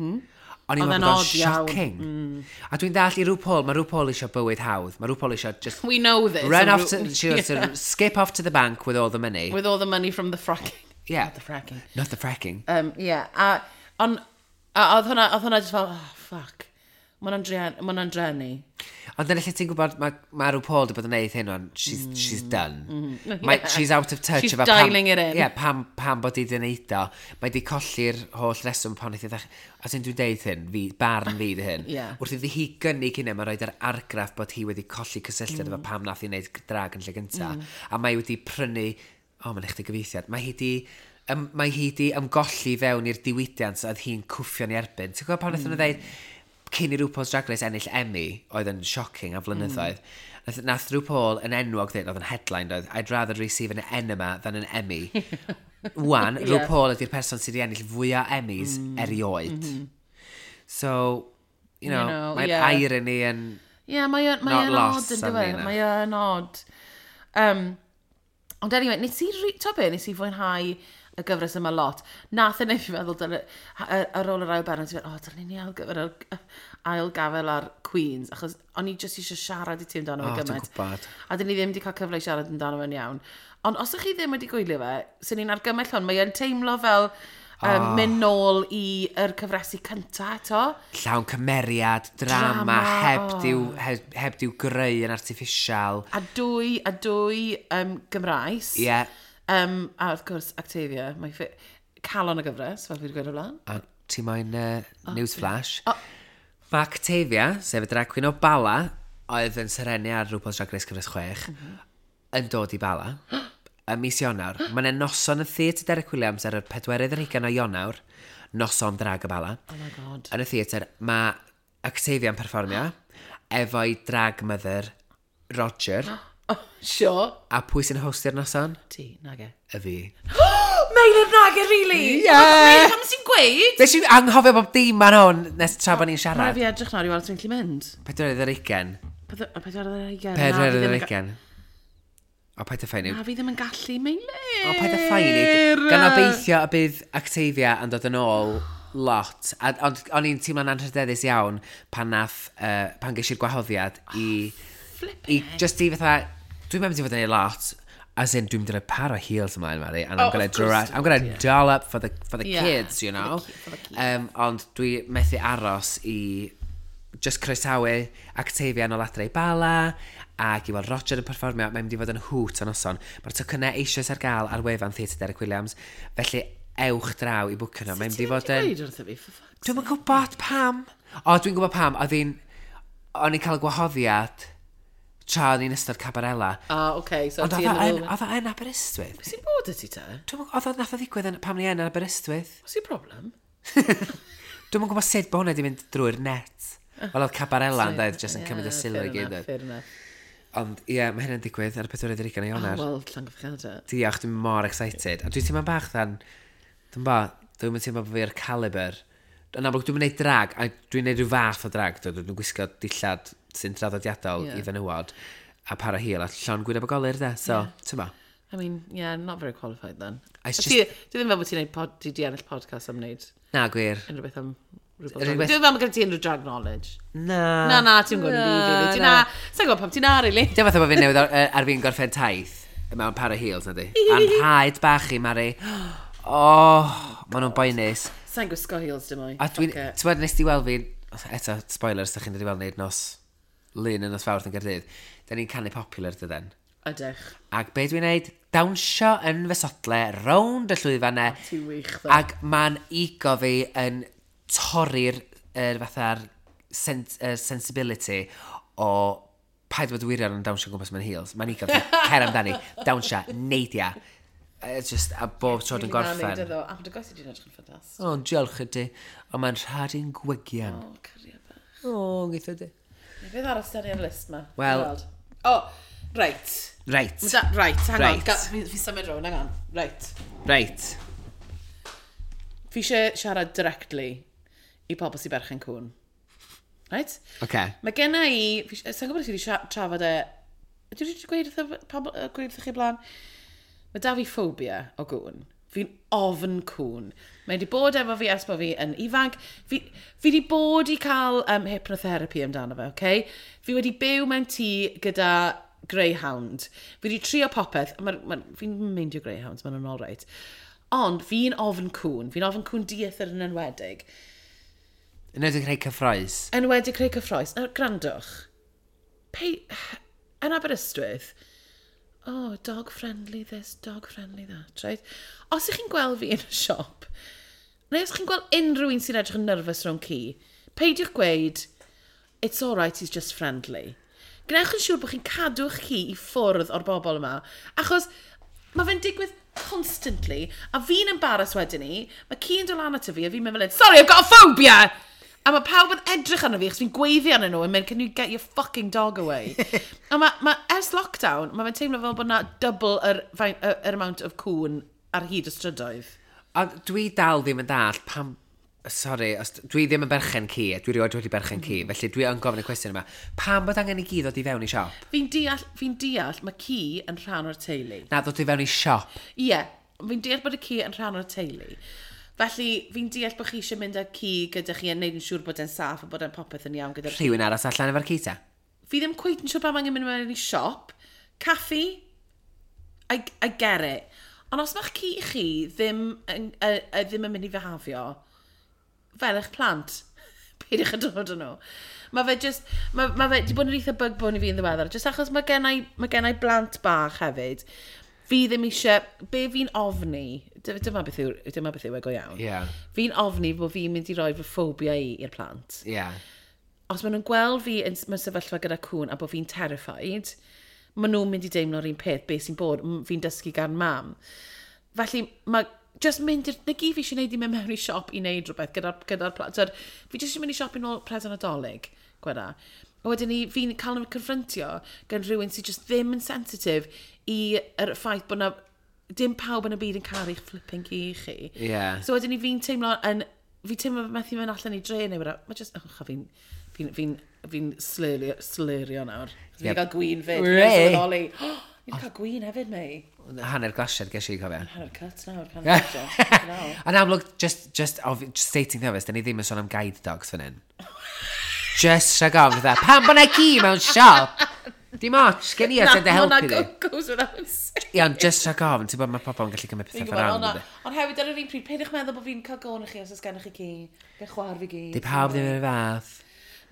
O'n i'n Oedd meddwl e'n bod o'n odd iawn. shocking. A dwi'n dall i RuPaul, mae RuPaul eisiau bywyd hawdd. Mae RuPaul eisiau just We know this. run And off to, she wants to skip off to the bank with all the money. With all the money from the fracking. Yeah. Not the fracking. Not the fracking. Yeah. A, on, a oedd hwnna just fel, oh, fuck. Mae hwnna'n drueni. Ond dyna lle ti'n gwybod, mae RuPaul wedi bod yn neud hyn, ond she's done. Mae, she's out of touch. She's efo dialing it in. Yeah, pam bod hi wedi neud o. Mae di colli'r holl reswm pan wnaeth hi ddechrau. A sy'n dwi'n deud hyn, fi, barn fi di hyn. Wrth iddi hi gynnig hynny, mae'n rhoi'r argraff bod hi wedi colli cysylltiad efo pam nath hi wneud drag yn lle gynta. A mae wedi prynu, o, mae'n eich gyfeithiad, mae hi di ymgolli fewn i'r diwydiant oedd hi'n cwffio'n ei erbyn. Ti'n gwybod pan wnaethon nhw ddeud, cyn i RuPaul's Drag Race ennill Emmy, oedd yn shocking am flynyddoedd, nath RuPaul yn enwog dweud, oedd yn headline, oedd, "I'd rather receive an enema than an Emmy." Wan, RuPaul ydy'r person sydd wedi ennill fwyaf Emmys erioed. So, You know, mae'r irony yn Yeah, mae o'n mae not o'n lost odd yn arni dywe. yna. Mae o'n odd. Ond anyway, nes i, t'o be, nes i fwynhau y gyfres yma lot. Nath e wneud fi feddwl, ar ôl yr ail bennod, ti'n meddwl, o, dylen ni ail gafel ar Queens, achos o'n i jyst eisiau siarad i ti amdano O, fe dwi'n gymaint. gwybod. A dyn ni ddim wedi cael cyfle i siarad amdano fe'n iawn. Ond os ydych chi ddim wedi gwylio fe, sy'n ni'n argymell hwn, mae e'n teimlo fel mynd nôl i'r cyfresi cynta eto. Llawn cymeriad, drama, Drama, heb, oh. heb diw greu yn artificial. A dwy Gymraes. Ie. Yeah. A wrth gwrs, Octavia, mae calon y gyfres, fel fi wedi gweud o blaen. A ti moyn news flash? O. Mae Octavia, sef y drag queen o Bala, oedd yn serenu ar RuPaul's Drag Race cyfres 6, yn dod i Bala. Ym mis Ionawr. Mae'n e noson yn Theatr Derek Williams ar y 24 o Ionawr, noson drag y Bala. Oh my God. Yn y theatr, mae Octavia yn perfformio efo'i drag mother, Roger. Oh, sure. A pwy sy'n hostio'r noson? Ti, nage. Y fi. Meilir, nage, really? Ie! Meilir, pam sy'n gweud? Nes i anghofio bob dim ar hwn nes tra bod ni'n Mae siarad. fi edrych nawr i weld os dwi'n gallu mynd. 24. 24. 24. O, paid â phoeni. Na, fi ddim yn gallu, Meilir. O, paid â phoeni. Gan obeithio y bydd Octavia yn dod yn ôl lot. A, ond o'n i'n teimlo'n anrhydeddus iawn pan ges i'r gwahoddiad i... Flipping I heck. just i fatha... Dwi'n mynd i fod yn ei lot. As in, dwi'n mynd i roi par o heels ymlaen, Mari. And I'm Oh, gonna, of course I'm gonna doll up for the kids, you for the know. for the kids. Ond dwi methu aros i just croesawu Octavia yn ôl adre i Bala ac i weld Roger yn perfformio. Mae'n mynd i fod yn hoot o noson. Mae'r tocynnau eisoes ar gael ar wefan Theatr Derek Williams. Felly ewch draw i bwcio nhw. Mae'n mynd i fod yn... Gweud wrtho fi, for fuck's Dwi'm yn gwybod pam. O, dwi'n gwybod pam. O'n i'n cael y gwahoddiad tra o'n i'n ystod Cabarella. Ah, okay, so Ond ti oedd yn o y yn, oedd o yn Aberystwyth. Sy'n bod y ti te? Dwi'm yn- Oedd o nath o ddigwydd yn, pam ni yn Aberystwyth. What's your problem? Dwi'm yn gwybod sut bod hwnna wedi mynd drwy'r net. Wel, oedd Cabarella yn dweud, jyst yn cymryd y sylw i gyd. Fair enough. Ond ie, mae hynny'n digwydd ar y 24 o Oh, Ionawr. wel, llongyfarchiadau. Diolch, dwi'n mor excited. A dwi'n teimlo'n bach ddan, dwi'n ba, dwi'n teimlo bod fi'r caliber. Yn amlwg, dwi'n gwneud drag, a dwi'n gwneud rhyw fath o drag, dwi'n gwisgo dillad sy'n traddodiadol i fenywod, a par o heel, a llon gwyneb o golur, de. So, yeah. Ti'n ba? I mean, yeah, not very qualified then. It's Ti ti ddim fel bod ti'n neud pod, ti di ennill podcast am wneud Na, gwir. unrhyw beth am RuPaul's Yr Drag unig Race. Dwi'n fel bod gen ti unrhyw drag knowledge. Na. Na, na, ti'n gwybod yn byd, really. Ti na, sa'n gwybod pam ti'n na, really. Dim fatha bod fi'n newydd ar fi'n gorffen taith mewn par o heels, na di. A'n rhaid bach i, Mari. Oh, maen nhw'n boenus. Sa'n gwisgo heels dim mwy. A dwi'n... Fuck it. Ti'n bod, nes di weld fi... Eto, spoilers, da chi'n dod i weld ni nos Lun yn nos Fawrth yn Gaerdydd. Da ni'n canu Popular, dyden. Ydych. Ac be dwi'n neud? Dawnsio yn fy sodle, rownd y llwyfannau. Ti'n wych, ddo. Ac mae'n ego fi yn torri'r fatha'r sensibility o paid bod wirion yn dawnsio gwmpas mewn heels. Mae'n ego fi, cer amdani, dawnsio, neidia. It's just, a bob tro dwi'n gorffen. A dy goes i di'n edrych yn ffantastig. O, diolch i ti. Ond mae'n rhad i'n gwegian. O, cariad bach. O, geitho di. Beth arall sydd ar y list ma? Wel- Dwi'n weld. O, reit. Reit, Da, right, hang on. Reit. Fi symud rownd, hang on. Right. reit. Fi eisiau siarad directly i pobl sy'n berchen cŵn. Right? Oce. Mae genna i... Sa'n gwybod os ti wedi trafod e... Dwi wedi gweud wrtho pobl, gweud wrtho chi blaen? Mae da fi ffobia o gŵn. Fi'n ofn cŵn. Mae wedi bod efo fi ers bod fi yn ifanc. Fi wedi bod i cael hypnotherapy amdano fe, okay? Fi wedi byw mewn tŷ gyda greyhound. Fi wedi trio popeth. Fi'n meindio greyhounds, maen nhw'n all right. Ond fi'n ofn cŵn. Fi'n ofn cŵn dieithr yn enwedig. Yn edrych rhai cyffroes. Enwedig creu cyffroes. Nawr, grandwch. Yn Aberystwyth, oh, dog friendly this, dog friendly that, right? Os ych chi'n gweld fi yn y siop, neu os chi'n gweld unrhyw un sy'n edrych yn nervous rhwng ci, peidiwch gweud, it's all right, he's just friendly. Gwnewch yn siŵr bod chi'n cadw'ch ci i ffwrdd o'r bobl yma, achos mae fe'n digwydd constantly, a fi'n embarrassed wedyn ni, mae ci yn dod lan ato fi, a fi'n mynd fel hyn, sorry, I've got a phobia! A mae pawb yn edrych arno fi, achos fi'n gweiddi arnyn nhw, yn mynd, can you get your fucking dog away? A ma, ers lockdown, mae fe'n teimlo fel bod na double yr amount of cŵn ar hyd y strydoedd. Ond dwi dal ddim yn dall pam... Sorry, os, dwi ddim yn berchen ci, a dwi rioed wedi berchen ci, felly dwi yn gofyn y cwestiwn yma. Pam bod angen i gi ddod i fewn i siop? Fi'n deall, mae ci yn rhan o'r teulu. Na, ddod i fewn i siop. Ie, yeah, Fi'n deall bod y ci yn rhan o'r teulu. Felly, fi'n deall bod chi eisiau mynd â ci gyda chi yn neud yn siŵr bod e'n saff a bod e'n popeth yn iawn gyda'r. Rhywun aros allan efo'r ci ta? Fi ddim cweit yn siŵr pam angen mynd mewn i siop. Caffi, I get it. Ond os mae'ch ci chi ddim yn mynd i fihafio, fel eich plant, peidiwch â dod â nhw. Mae fe just, mae fe di bod yn eitha bug bone i fi yn ddiweddar, just achos mae gennai blant bach hefyd. Fi ddim eisiau, be fi'n ofni, dyma beth yw e go iawn. Fi'n ofni bod fi'n mynd i roi fy ffobia i i'r plant. Os maen nhw'n gweld fi mewn sefyllfa gyda cwn a bod fi'n terrified, maen nhw'n mynd i deimlo'r un peth, beth sy'n bod, fi'n dysgu gan mam. Felly, mae just mynd i'r. Na gyd fi eisiau gwneud i mynd mewn i siop i wneud rhywbeth gyda plant. Twyd, fi jyst eisiau mynd i siop i nôl present Nadolig, gweda. A wedyn ni, fi'n cael yn confrontio gan rhywun sydd just ddim yn sensitif i'r ffaith bod na dim pawb yn y byd yn caru'ch flipping ci chi. So wedyn ni fi'n teimlo yn. Fi'n teimlo methu mynd allan i dre neu whatever. Mae just. Oh, fi'n slurio nawr. Fi'n cael gwin fyd. Wê! Fi'n sylweddoli. Fi'n cael gwin hefyd, mei. Hanner glasiad ges i, cofio. Hanner cut nawr, hanner glasiad. Nawr. Yn amlwg, just stating the obvious, da ni ddim yn sôn am guide dogs fan hyn. Just rhag ofn, fatha, pam bod na ci mewn siop? Dim ots, gen i at dy helpu di. Goes without saying. Iawn, just rhag ofn, ti'n bod mae pobl yn gallu cymryd Fi'n pethau gwybod, fel ond rhan. ond hefyd ar yr un pryd, peidiwch meddwl bod fi'n cael go arnoch chi os oes gennych chi ci. Gen chwaer fi gi. Di pawb ddim yn y fath.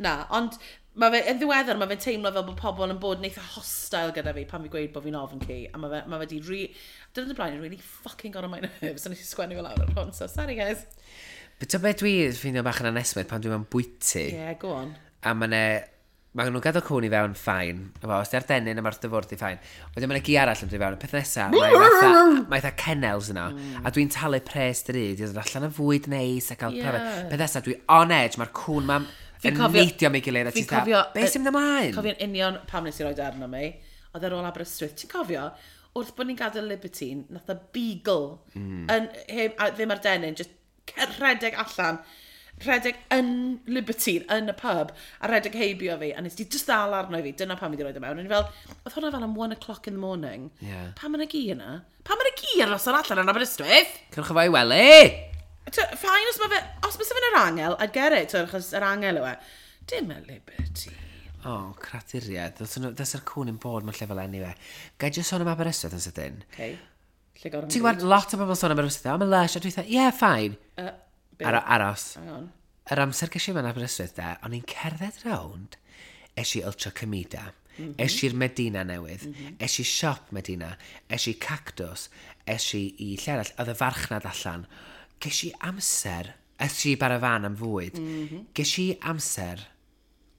Na, ond mae fe, yn ddiweddar, mae fe'n teimlo fel bod pobl yn bod yn eitha hostile gyda fi pan fi gweud bod fi'n ofn ci. A mae fe di. Dyna y blaen, really fucking got on my nerves. A nes i sgwennu fe lawr ar hwn, so sorry guys. But to beth dwi ffeindio bach yn anesmwyth pan dwi mewn bwyty. Yeah, go on. A mae ne. Mae nhw'n gadael cwn i fewn, fine. Efo, os di ar dennyn a mae'r dyfwrdd i fine. Wedyn mae'n gi arall yn dod i fewn. Y peth nesaf, mae fatha kennels yna. A dwi'n talu pres drud i ddod allan yn fwyd neis a cael pryfed. Peth nesaf, dwi on edge, mae'r cwn ma'n Fi'n yn neidio mi gilydd. A Fi'n ti'n fatha, cofio. Be sy'n mynd ymlaen? Cofio'n union pam nes i roi arno mi. Oedd ar ôl Aberystwyth. Ti'n cofio? Wrth bod ni'n gadael Libertine, nath y beagle, yn, heb, a ddim ar dennyn, just rhedeg allan, rhedeg yn Libertine, yn y pub, a rhedeg heibio fi, a nes di just ddal arno i fi, dyna pam fi wedi rhoi o mewn. O'n i fel, oedd hwnna fel am 1 o'clock in the morning. Pam yna gi yna? Pam yna gi ar noson allan yn Aberystwyth? Cyrwch fo i wely! Fine, os mae fe'n yr angel, I'd get it, twyd, achos yr angel yw e. Dim y Liberty. O, oh, craduriad. Dylse'r cwn yn bod mewn lle fel anyway. Gai jyst sôn am Aberystwyth yn sydyn? Okay. Lle gorau. Ti'n gwybod lot o bobl sôn am Aberystwyth? I'm a lush, a dwi'n dweud, yeah, fine. Aros. Hang on. Yr amser ges i mewn Aberystwyth de, o'n i'n cerdded rownd, es i Ultra Comida, es i'r Medina newydd, es i siop Medina, es i Cactus, es i i lle arall, oedd y farchnad allan. Ges i amser, es i Barafan am fwyd, ges i amser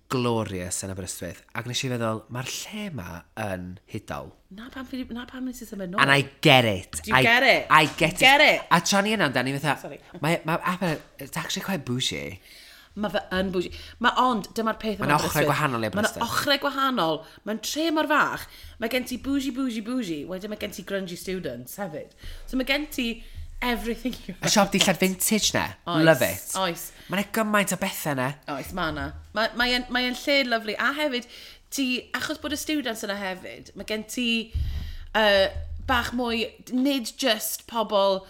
glorious yn Aberystwyth, ac nes i feddwl, mae'r lle ma yn hudol. Na pam nes i symud nôl. And I get it. Do you get it? I get it. Get it? A tra ni yna amdani, fatha, Sorry. mae Aber, it's actually quite bougie. Mae fe yn bougie. Mae ond, dyma'r peth. Mae'n ochrau gwahanol i Mae'n Aberystwyth. ochrau gwahanol. Mae'n tre mor fach. Mae gen ti bougie, bougie, bougie. Wedyn mae gen ti grungy students hefyd. So mae gen ti everything you Y siop dillad vintage na. Oes, Love it. Oes. Mae'n gymaint o bethau na. Oes, mae na. Mae'n mae lle lyfli. A hefyd, ti, achos bod y students yna hefyd, mae gen ti bach mwy, nid just pobl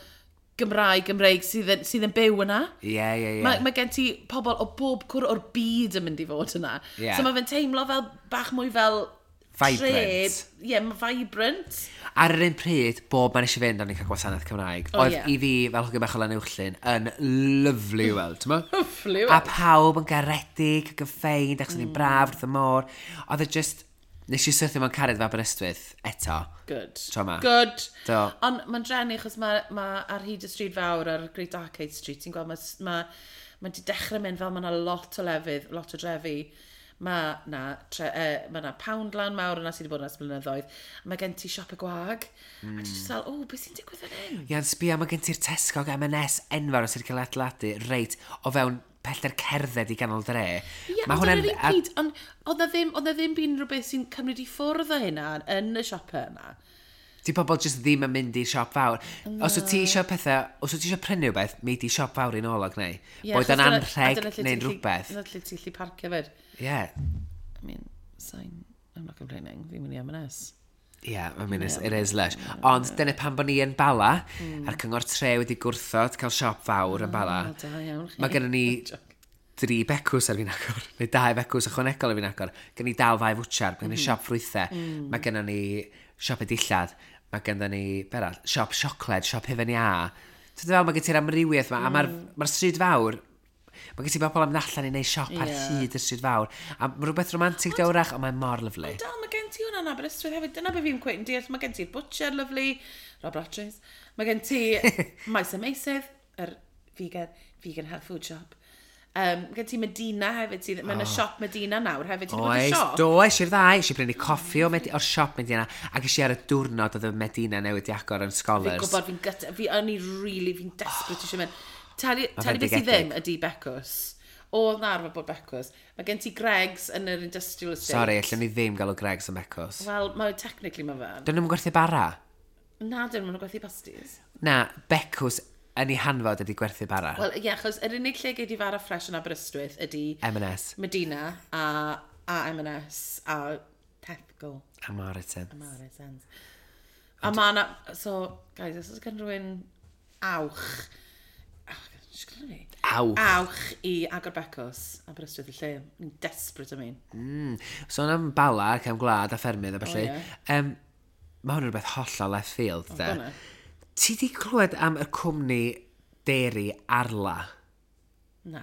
Gymraeg, Gymreig sydd yn byw yna. Ie, ie, ie. Mae gen ti pobl o bob cwr o'r byd yn mynd i fod yna. Ie. So mae fe'n teimlo fel bach mwy fel Vibrant. Ie, yeah, mae vibrant. Ar yr un pryd, bob man eisiau fynd, o'n i'n cael gwasanaeth Cymraeg. O, Oedd ie. i fi, fel hogyn bach o Lanuwchllyn, yn lyfli i weld, ti'n mo? Lyfli i A weld. pawb yn garedig ac yn ffeind, achos o'n i'n braf wrth y môr. Oedd e just. Nes i syrthio mewn cariad efo Aberystwyth eto. Good. Tro 'ma. Good. Do. Ond mae'n drenu achos mae ar hyd y stryd fawr, ar Great Arcade Street, ti'n gweld, mae di dechrau mynd fel mae yna lot o lefydd, lot o drefi. Mae na Poundland mawr yna sydd wedi bod yna ers blynyddoedd. A mae gen ti siop y gwag. A ti just fel, o, beth sy'n digwydd fan hyn? Ia'n sbio, mae gen ti'r Tesco ac M&S enfawr sydd wedi cael ei adeiladu reit o fewn pellter cerdded i ganol dre. Ie, Mae ond hwnna'n ar yr un pryd, ond oedd na ddim byd rhywbeth sy'n cymryd i ffwrdd o hynna yn y siopau yna. Di pobl just ddim yn mynd i'r siop fawr. Os wyt ti eisiau pethau, os wyt ti eisiau prynu rhywbeth, mi di siop fawr i nôl ag neu. Ie, Boed achos yn a anrheg dyna lle neu'n ti'n gallu- rhywbeth. Dyna lle ti'n gallu parcio fyd. Ie. I mean, sign, I'm not complaining, fi'n mynd i M&S. Yeah, I mean, it is lush. Ond dyna pam bod ni yn Bala, a'r cyngor tre wedi gwrthod cael siop fawr yn Bala. O, da iawn chi. Mae gennym ni dri becws ar fi'n agor, neu dau becws ychwanegol ar fi'n agor. Gen ni dal ddau fwtsiar, mae gen ni siop ffrwythau, mae gennym ni siop y dillad, mae gennym ni, be arall, siop siocled, siop hufen iâ. Ti'n fel, mae gen ti'r amrywiaeth yma, a mae'r ma stryd fawr, mae gen ti bobl am allan i wneud siop ar hyd y stryd fawr. A mae rhywbeth romantig di wrach, ond mae'n mor lyfli. Dal, mae gen ti hwnna yn Aberystwyth hefyd. Dyna be fi'n cweith yn deall. Mae gen ti'r butcher, lovely, Rob Ratches. Mae gen ti Maes y Meisydd, yr vegan health food shop. Mae gen ti Medina hefyd. Sydd, Mae yna siop Medina nawr hefyd. Ti 'di bod i'r Oes, siop? do, es i'r ddau, es i brynu coffi o'r siop Medina, ac es i ar y diwrnod oedd y Medina newydd di agor yn Fi'n Scholars. gwybod, fi'n gut, fi o'n i really, fi'n desperate eisiau mynd. Tell Ma' tell beth sydd fendigedig. ddim ydy Becws. Oedd na arfer bod Becws. Mae gen ti Greggs yn yr industrial estate. Sorry, allwn ni ddim gael o Greggs yn Becws. Wel, mae technically mae fe. Dyn nhw'n gwerthu bara? Na, dyn nhw'n gwerthu pasties. Na, Becws yn ei hanfod ydy gwerthu bara. Wel, ie, achos yr unig lle gei di fara ffres yn Aberystwyth ydy M&S Medina a M&S a Tesco. a Morrison. Morrisons. A ma' na... So, guys, os oes gen rhywun awch... Oh, sgynna fi? Awch. Awch i agor Becws Aberystwyth y lle. Ni'n desperate am un. Sôn am Bala ac am gwlad a ffermydd a felly. O, ie. Mae hwn yn rhywbeth hollol left field, de. Dyna. Ti di clywed am y cwmni dairy Arla? Na.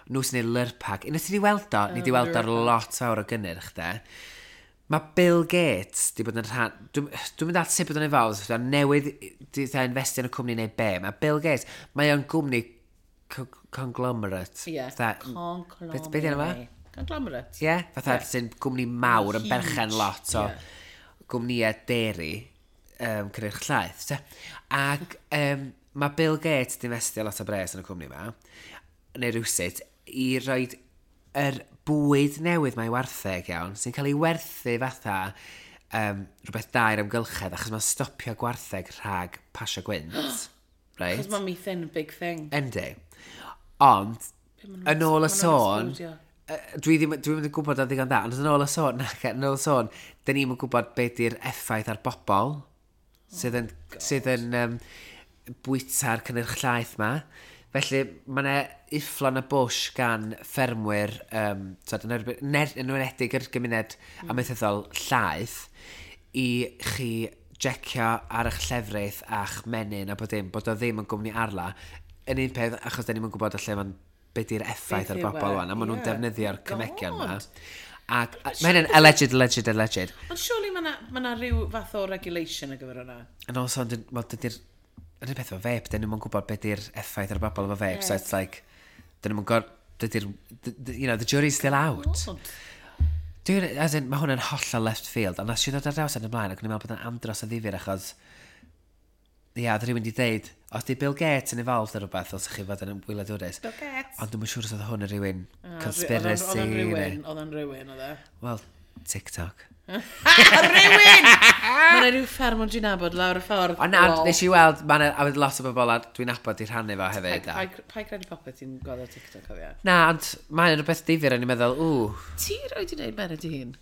Nhw sy'n neud Lurpak. Unwaith ti di weld o, ni di weld o'r lot fawr o gynnyrch, de. Mae Bill Gates di bod yn rhan... Dwi'n dwi mynd at sut bod yn involved, so newydd di dda investio yn y cwmni neu be. Mae Bill Gates, mae o'n gwmni conglomerate. Ie. Fatha- Conglomerate. Be di enw fe? Conglomerate. Ie, fatha Ie. sy'n gwmni mawr yn Huge, berchen lot o ie. gwmnïau dairy, cynnyrch llaeth. Te. Ac mae Bill Gates di investio lot o bres yn y cwmni yma, neu rhywsut, i roed yr bwyd newydd mae wartheg iawn, sy'n cael ei werthu fatha rhywbeth da i'r amgylchedd, achos mae'n stopio gwartheg rhag pasio gwynt. Right? Achos mae methane yn big thing. Yndi. Ond, yn ôl y ma' nhw'n sôn, explodio. dwi ddim, dwi ddim yn gwybod o ddigon da, ond yn ôl y sôn, nac, yn ôl y sôn, dyn ni'm yn gwybod beth di'r effaith ar bobl sydd yn, sydd yn bwyta'r cynnyrch llaeth ma. Felly, mae yna ufflon y bush gan ffermwyr, tyd, yn enwedig yr gymuned amaethyddol llaeth, i chi jecio ar eich llefrith a'ch menyn a bod dim, bod o ddim yn gwmni Arla. Yn un peth, achos da ni'm yn gwybod o lle mae'n be di'r effaith Beth ar yw bobl e, wan, a maen nhw'n ie. defnyddio'r cemegion yma. God. Ac mae hynny'n alleged, alleged, alleged. Ond surely mae 'na rhyw fath o regulation ar gyfer hwnna. And also, wel, dydy'r... Yr un peth efo vape, dyn nhw'n gwybod beth di'r effaith ar y bobl efo vape, so it's like, dyn nhw'n gwybod, dydy'r, you know, the jury's still out. God. Dwi'n, as in, mae hwn yn hollol left field, ond nes i ddod ar draws yn ymlaen, ac o'n i'n meddwl bod yn andros o ddifyr, achos, ia, oedd rhywun wedi deud, os di Bill Gates yn involved ar rhywbeth, os chi fod yn wyliadwrus. Bill Gates. Ond dwi'n siŵr os oedd hwn yn rhywun Ah, conspiracy. Oedd o'n rhywun, oedd o'n rhywun, oedd e. Wel, TikTok. Rhywun! Mae yna rhyw fferm o'n dwi'n nabod lawr y ffordd. Ond na, Lol. nes i weld, ma' 'na, a oedd lot o bobl a dwi'n nabod i rhannu fo hefyd. Pai credu popeth ti'n gweld ar TikTok, cofio. Na, ond mae'n rhywbeth difyr, o'n i'n meddwl, ww, Ti roi di wneud menyn dy hun?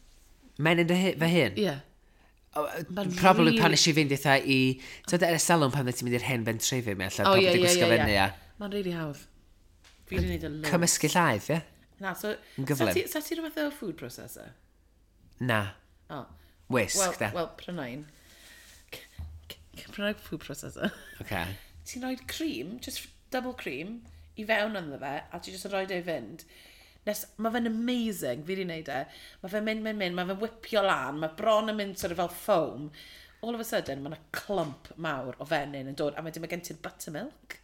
menyn dy fy hun? Ie. Ma'n Probably really- pan nes i fynd eitha i... Ti'n ar y salon pan ti'n mynd i'r hen bentrefi mi allan, O, pawb ie, wedi ie, gwisgo ie, fyny ie. a Mae'n really hawdd. Fi wedi wneud y loads. cymysgu llaeth, ie? Na, so... Yn gyflym. Sa ti rhywbeth o food processor? Na, O. wisg, Wel, da. wel, pryna un. Pryna food processor. Okay. Ti'n rhoi cream, just double cream, i fewn ynddo fe, a ti just yn rhoi e i fynd. Nes, mae fe'n amazing, fi wedi wneud e. Mae fe'n mynd, mynd, mynd, mae fe'n whipio lan, mae bron yn mynd sort of fel foam. All of a sudden, mae yna clump mawr o fenyn yn dod, a wedyn mae gen ti'r buttermilk.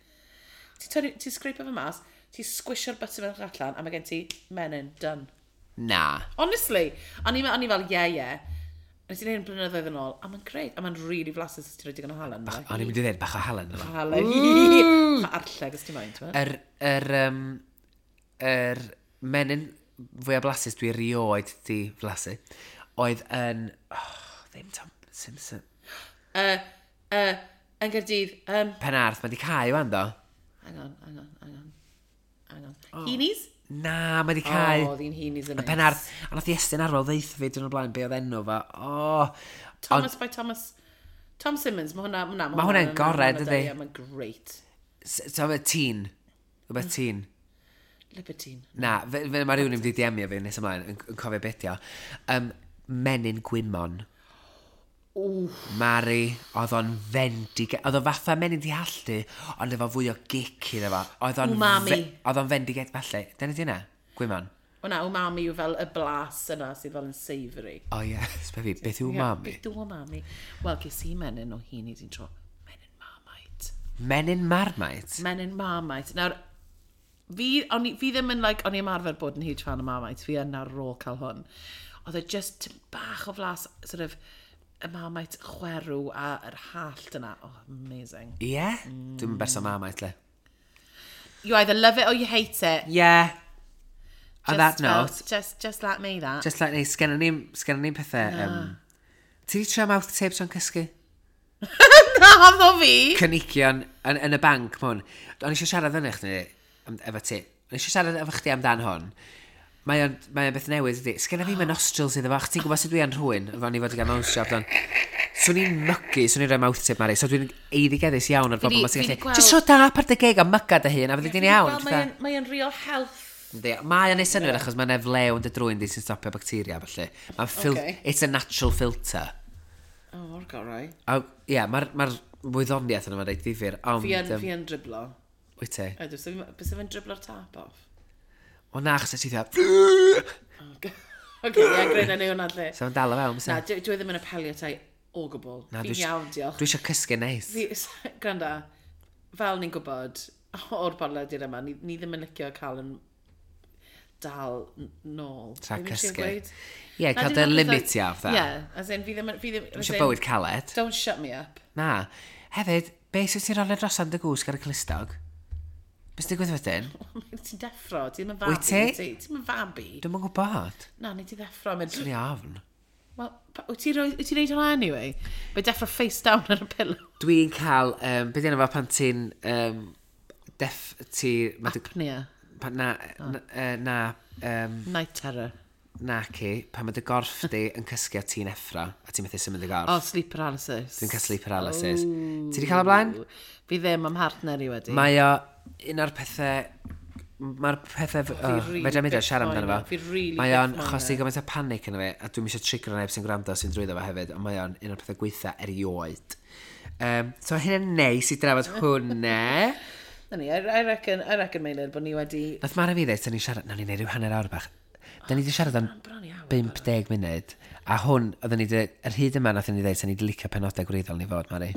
Ti'n torri- ti'n scrape fe mas, ti'n squishio'r buttermilk allan, a mae gen ti menyn, done. Na. Honestly, o'n i o'n i fel, yeah, yeah. Nes i wneud yn blynyddoedd yn ôl, a mae'n great, a mae'n really flasus os ti'n rhoi digon o halen. ynddo fe. O'n i'n mynd i ddweud bach o halen yma. Halen. Bach o arlleg os ti'n moyn, ti'n Yr, yr, um, yr menyn fwyaf blasus dwi erioed di flasu oedd yn... Oh, ddim Tom Simpson. Yn Gaerdydd, Penarth, mae di cau wan do. hang on, hang on, hang on. Hang on. Oh. Heenies? Na, mae di cael. O, oedd hi'n hi'n Y Penarth, a nath Iestyn Arwel ddeitha fi dyn o'r blaen be oedd enw fo. O, Thomas by Thomas... Tom Simmons, mae hwnna... Mae hwnna'n gorau, dydi? Ie, mae'n great. So, teen. Rhywbeth teen. Libertine. Na, fe, fe, mae rhywun yn mynd i DM-io fi nes ymlaen, yn, yn cofio beth o. Menyn gwymon. Wff. Mari, oedd o'n fendig... Oedd o fatha menyn di halltu, ond efo fwy o gic iddo fo. Oedd o'n Umami. Oedd o'n fendiged falle. Dyna di hynna? Gwymon. O na, umami yw fel y blas yna sydd fel yn savoury. O ie, sbe fi, beth yw umami? Ie, beth yw umami? Wel, ges i menyn o hyn i di'n tro. Menyn Marmite. Menyn Marmite? Menyn Marmite. Nawr, fi, o'n i, fi ddim yn, like, o'n i ymarfer bod yn huge fan o Marmite. Fi yn ar ôl cael hwn. Oedd e just tipyn bach o flas, sort of, y Marmite chwerw a yr hallt yna. Oh, amazing. Ie? Yeah? Dwi'n berson Marmite, le. You either love it or you hate it. Yeah. On that Just fel- note, Just let me that. just like ni, sgenna ni'n sgenna ni'n pethau... Um, ti di trio mouth tape tra'n cysgu? Na, ddo fi! Cynigion yn, yn y banc ma hwn. O'n i eisiau siarad fyny chdi, efo ti. O'n i eisiau siarad efo chdi amdan hwn. Mae o'n, mae o'n beth newydd, ydi. Sgenna fi mae nostrils iddo fo, achos ti'n gwybod sut dwi yn rhywun, efo ni fod i gael nose job don. Swn i'n mygu, swn i'n rhoi mouth tape, Mari, so dwi'n eiddigeddus iawn ar Fi bobl 'di- ma sy'n fi 'di gallu... gweld- Just rho dap ar dy geg a myga dy hun, a fyddi di'n iawn. Wel, Fatha- Mae o'n real health. Yndi, Mae o'n neud synnwyr achos mae'n eflew yn dy drwyn di sy'n stopio bacteria, felly. Mae'n fil Ocê. It's a natural filter. Oh, o'r gorau. A, ie, yeah, mae'r ma wyddoniaeth yna mae'n reit ddifyr, ond... Fi yn, fi yn driblo. Wyt ti? Ydw, so bys fi'n driblo'r tap off. O na, achos ti dda... Oce, ie, greu na neu hwnna lle. So mae'n dal o fewn, Na, bysa? dwi ddim yn apelio tai o gwbl. Na, Fi'n iawn, diolch. Dwi eisiau cysgu neis. Fi, gwranda, fel ni'n gwybod o'r podlediad yma, ni, ni ddim yn licio cael yn dal nôl. Tra Be fi'n trio cysgu. gweud? Ie, Na, cael dim dy ond fatha- limit i fatha. Ie, as in, fi ddim... Fi ddim Dwi eisiau bywyd caled. Don't shut me up. Na. Hefyd, be sy'n ti'n rolio drosodd yn dy gwsg ar y clustog? Be sy'n digwydd wedyn? Ti'n deffro, ti'n yn fabi. Wyt ti? Ti'n yn fabi. Dwi'm yn gwybod. Na, ni ti ddeffro. Mynd, Dwi'n ofn. Wel, wyt ti'n wyt ti'n neud hwnna anyway? Mae deffro face down ar y pillow. Dwi'n cael, be di enw fo pan ti'n, def, ti, ma dy, Apnea. pan, na, na, na, Night terror. na ci, pan mae dy gorff di yn cysgu a ti'n effro, a ti'n methu symud dy gorff. Oh, sleep paralysis. Dwi'n cael sleep paralysis. Ti di cael o blaen? Fi ddim am partner i wedi. Mae o un o'r pethau... Mae'r pethau... Oh, really Fedra i mynd ar siarad amdano byth fo. moyn o. Fi really Mae o'n byth moyn achosi o. gymaint o panic yna fi, a dwi'n eisiau trigger neb sy'n gwrando sy'n drwyddo fo hefyd, ond mae o'n un o'r pethau gweitha erioed. So hynny'n neis i drafod hwnna. Na ni, I reckon, Meilir, bod ni wedi... Nath Mara fi ddeud, da ni'n siarad, nawn ni neud rhyw hanner awr bach. Da ni wedi siarad am Bron i awr. 50 munud, a hwn, oedden ni 'di, yr hyd yma nath ni ddeud, sa'n ni wedi licio penodau gwreiddiol ni fod, Mari.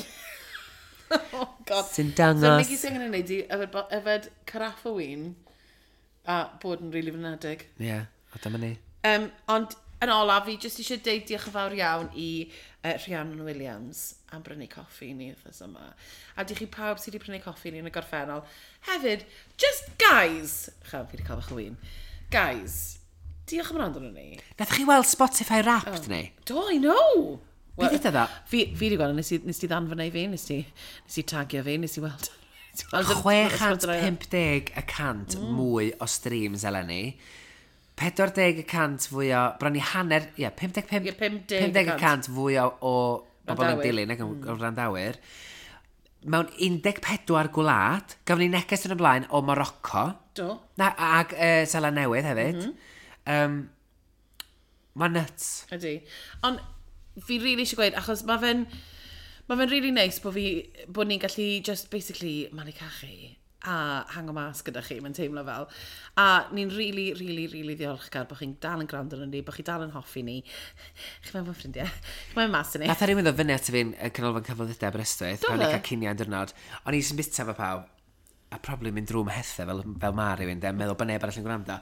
Oh, God. Sy'n So, dangos... Nicky sy'n angen ei wneud i yfed, yfed caraff o win a bod yn rili really fynedig. Ie, yeah, a dyma ni. Ond yn olaf, fi jyst eisiau deud diolch yn fawr iawn i Rhiannon Williams am brynu coffi i ni wythnos yma. A diolch i pawb sydd wedi prynu coffi i ni yn y gorffennol. Hefyd, just guys! Chaf, fi wedi cael bach o win. Guys, diolch am wrando arno ni. Nath chi weld Spotify Wrapped ni? Do, I know! Be ddudodd o? Fi wedi gweld, nes ti ddanfon ei fi, nes i tagio fi, nes i weld. Nes i weld 650 y cant mwy o streams eleni. 40 y cant fwy o... Bron i hanner... Ie, 55... Ie, 50 50 y cant fwy o bobl yn Wrandawyr. dilyn ac o wrandawyr. Mewn 14 gwlad, gafon ni neges yn y blaen o Morocco. Do. Na, ag Seland Newydd hefyd. Mm -hmm. Mae'n nuts. Ydy. Ond fi really eisiau gweud, achos mae fe'n ma fe'n really nice bod, fi, bod ni'n gallu just basically malu cachu a hango mas gyda chi, mae'n teimlo fel. A ni'n really, really, really ddiolchgar bod chi'n dal yn gwrando arno ni, bod chi dal yn hoffi ni. Chi mewn fy ffrindiau. Chi mewn mas i ni. Nath a rhywun ddod fyny at fi'n canolfan cyflwyddydau Aberystwyth, Do pan o'n i'n fe? cael cinio yn diwrnod. O'n i jyst yn bita fo pawb, a probably mynd drwy mhethau fel, fel ma rhywun, de, meddwl bod neb arall yn gwrando.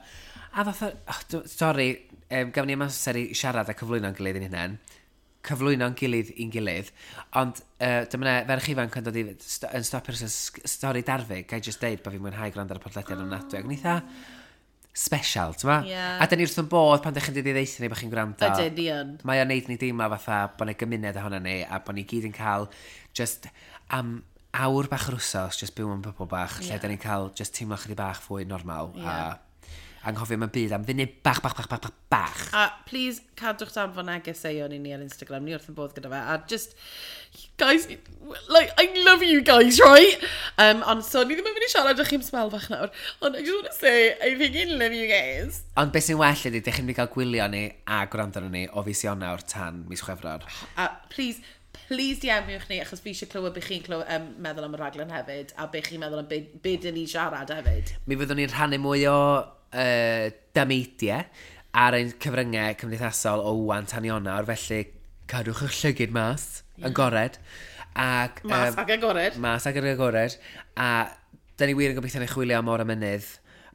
A fath o, oh, sori, gafon ni amser i siarad a cyflwyno'n gilydd i'n hunain. Cyflwyno'n gilydd i'n gilydd. Ond dyma 'na ferch ifanc yn dod i, yn stopio'r stori darfu, gai jyst deud bod fi'n mwynhau gwrando ar y podlediad ofnadwy. Ac o'n i eitha special, ti'n ma? Ie. A dyn ni wrth yn bodd pan ddech chi'n dod i ddeutha ni bod chi'n gwrando. Ydyn, ni yn. Mae o'n neud ni deimlo fatha bod yna gymuned ohono ni a bod ni gyd yn cael just am awr bach yr wsos, just byw mewn bubble bach, lle da ni'n cael just teimlo chydig bach fwy normal a, anghofio am y byd am funud bach, bach, bach, bach, bach, bach. A please, cadwch danfon negeseuon i ni ar Instagram, ni wrth yn bodd gyda fe. A just, guys, like, I love you guys, right? Ond so, ni ddim yn mynd i siarad â chi am sbel bach nawr. Ond I just want to say, I think I love you guys. Ond beth sy'n well ydy, dych chi'n mynd i gael gwylio ni a gwrando arno ni o fis Ionawr tan mis Chwefror. A please, please DM-iwch ni, achos fi eisiau clywed be chi'n clywed, meddwl am y raglen hefyd, a be chi'n meddwl am be dyn ni siarad hefyd. Mi fyddwn ni'n rhannu mwy o dameidiau ar ein cyfryngau cymdeithasol o wan tan Ionawr, felly cadwch eich llygyd mas, yn gored. Ac, Mas ac agored. Mas ac agored. A da ni wir yn gobeithio ni chwilio am Môr a Mynydd.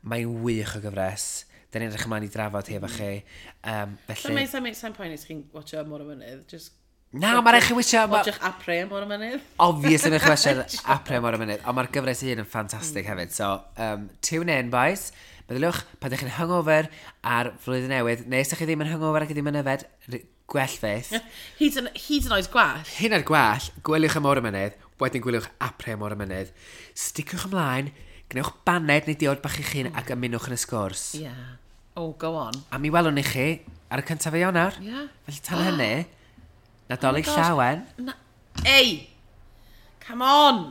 Mae'n wych o gyfres. Da ni'n edrych ymlaen i drafod hi efo chi. So, Felly... mae'n sa'n poeni os chi'n watcho Môr a Mynydd, just Na, mae rhaid chi wisio. Watchwch Après Môr a Mynydd. Obviously, mae'n chi wisio Après Môr a Mynydd. Ond mae'r gyfres hun yn ffantastig hefyd. So, tune in, boys. Meddyliwch, pan ydych chi'n hungover ar flwyddyn newydd, neu os ydych chi ddim yn hungover ac ddim yn yfed, gwell fyth. Hyd yn oed gwell. Hyn ar gwell, gwyliwch y Môr y Mynydd, wedyn gwyliwch Après Môr y Mynydd. Sticiwch ymlaen, gwnewch baned neu diod bach i'ch hun ac ymunwch yn y sgwrs. Yeah. Oh, go on. A mi welwn ni chi ar y 1 o Ionawr. Yeah. Felly tan hynny, Nadolig Oh my gosh. llawen. Na. Ei! Come on!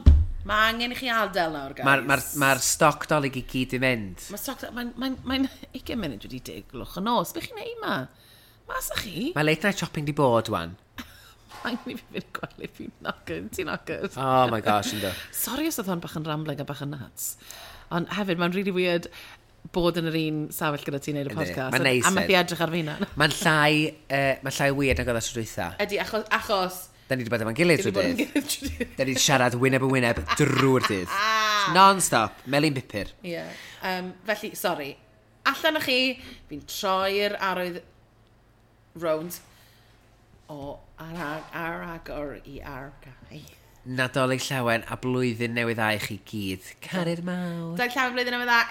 Mae angen i chi adael nawr, guys. Mae'r ma ma stoc dolig i gyd i mynd. Mae stoc. Mae'n 20 munud wedi 10 gloch y nos. Be chi'n neud ma? Mas â chi? Mae late night shopping di bod, wan. Angen i fi fynd gwely, fi'n knackered. Ti'n knackered. Oh my gosh, ynddo. Sorry os oedd hwn bach yn rambling a bach yn nuts. Ond hefyd, mae'n really weird bod yn yr un safell gyda ti'n neud y Yndi. podcast. Mae'n neis A methu fyd. edrych ar fi hunan. Mae'n llai weird nag oedd o tro dwytha. Ydy, achos Da ni wedi bod efo'n gilydd Dwi trwy wedi bod yn dydd. gilydd trwy dydd. Da ni wedi siarad wyneb yn wyneb drwy'r dydd. Non-stop. Melyn bupur. Ie. Felly, sorry. Allan â chi, fi'n troi'r arwydd rownd o ar agor i ar gau. Nadolig llawen a blwyddyn newydd dda i chi gyd. Cariad mawr. Daeth llawn blwyddyn newydd dda.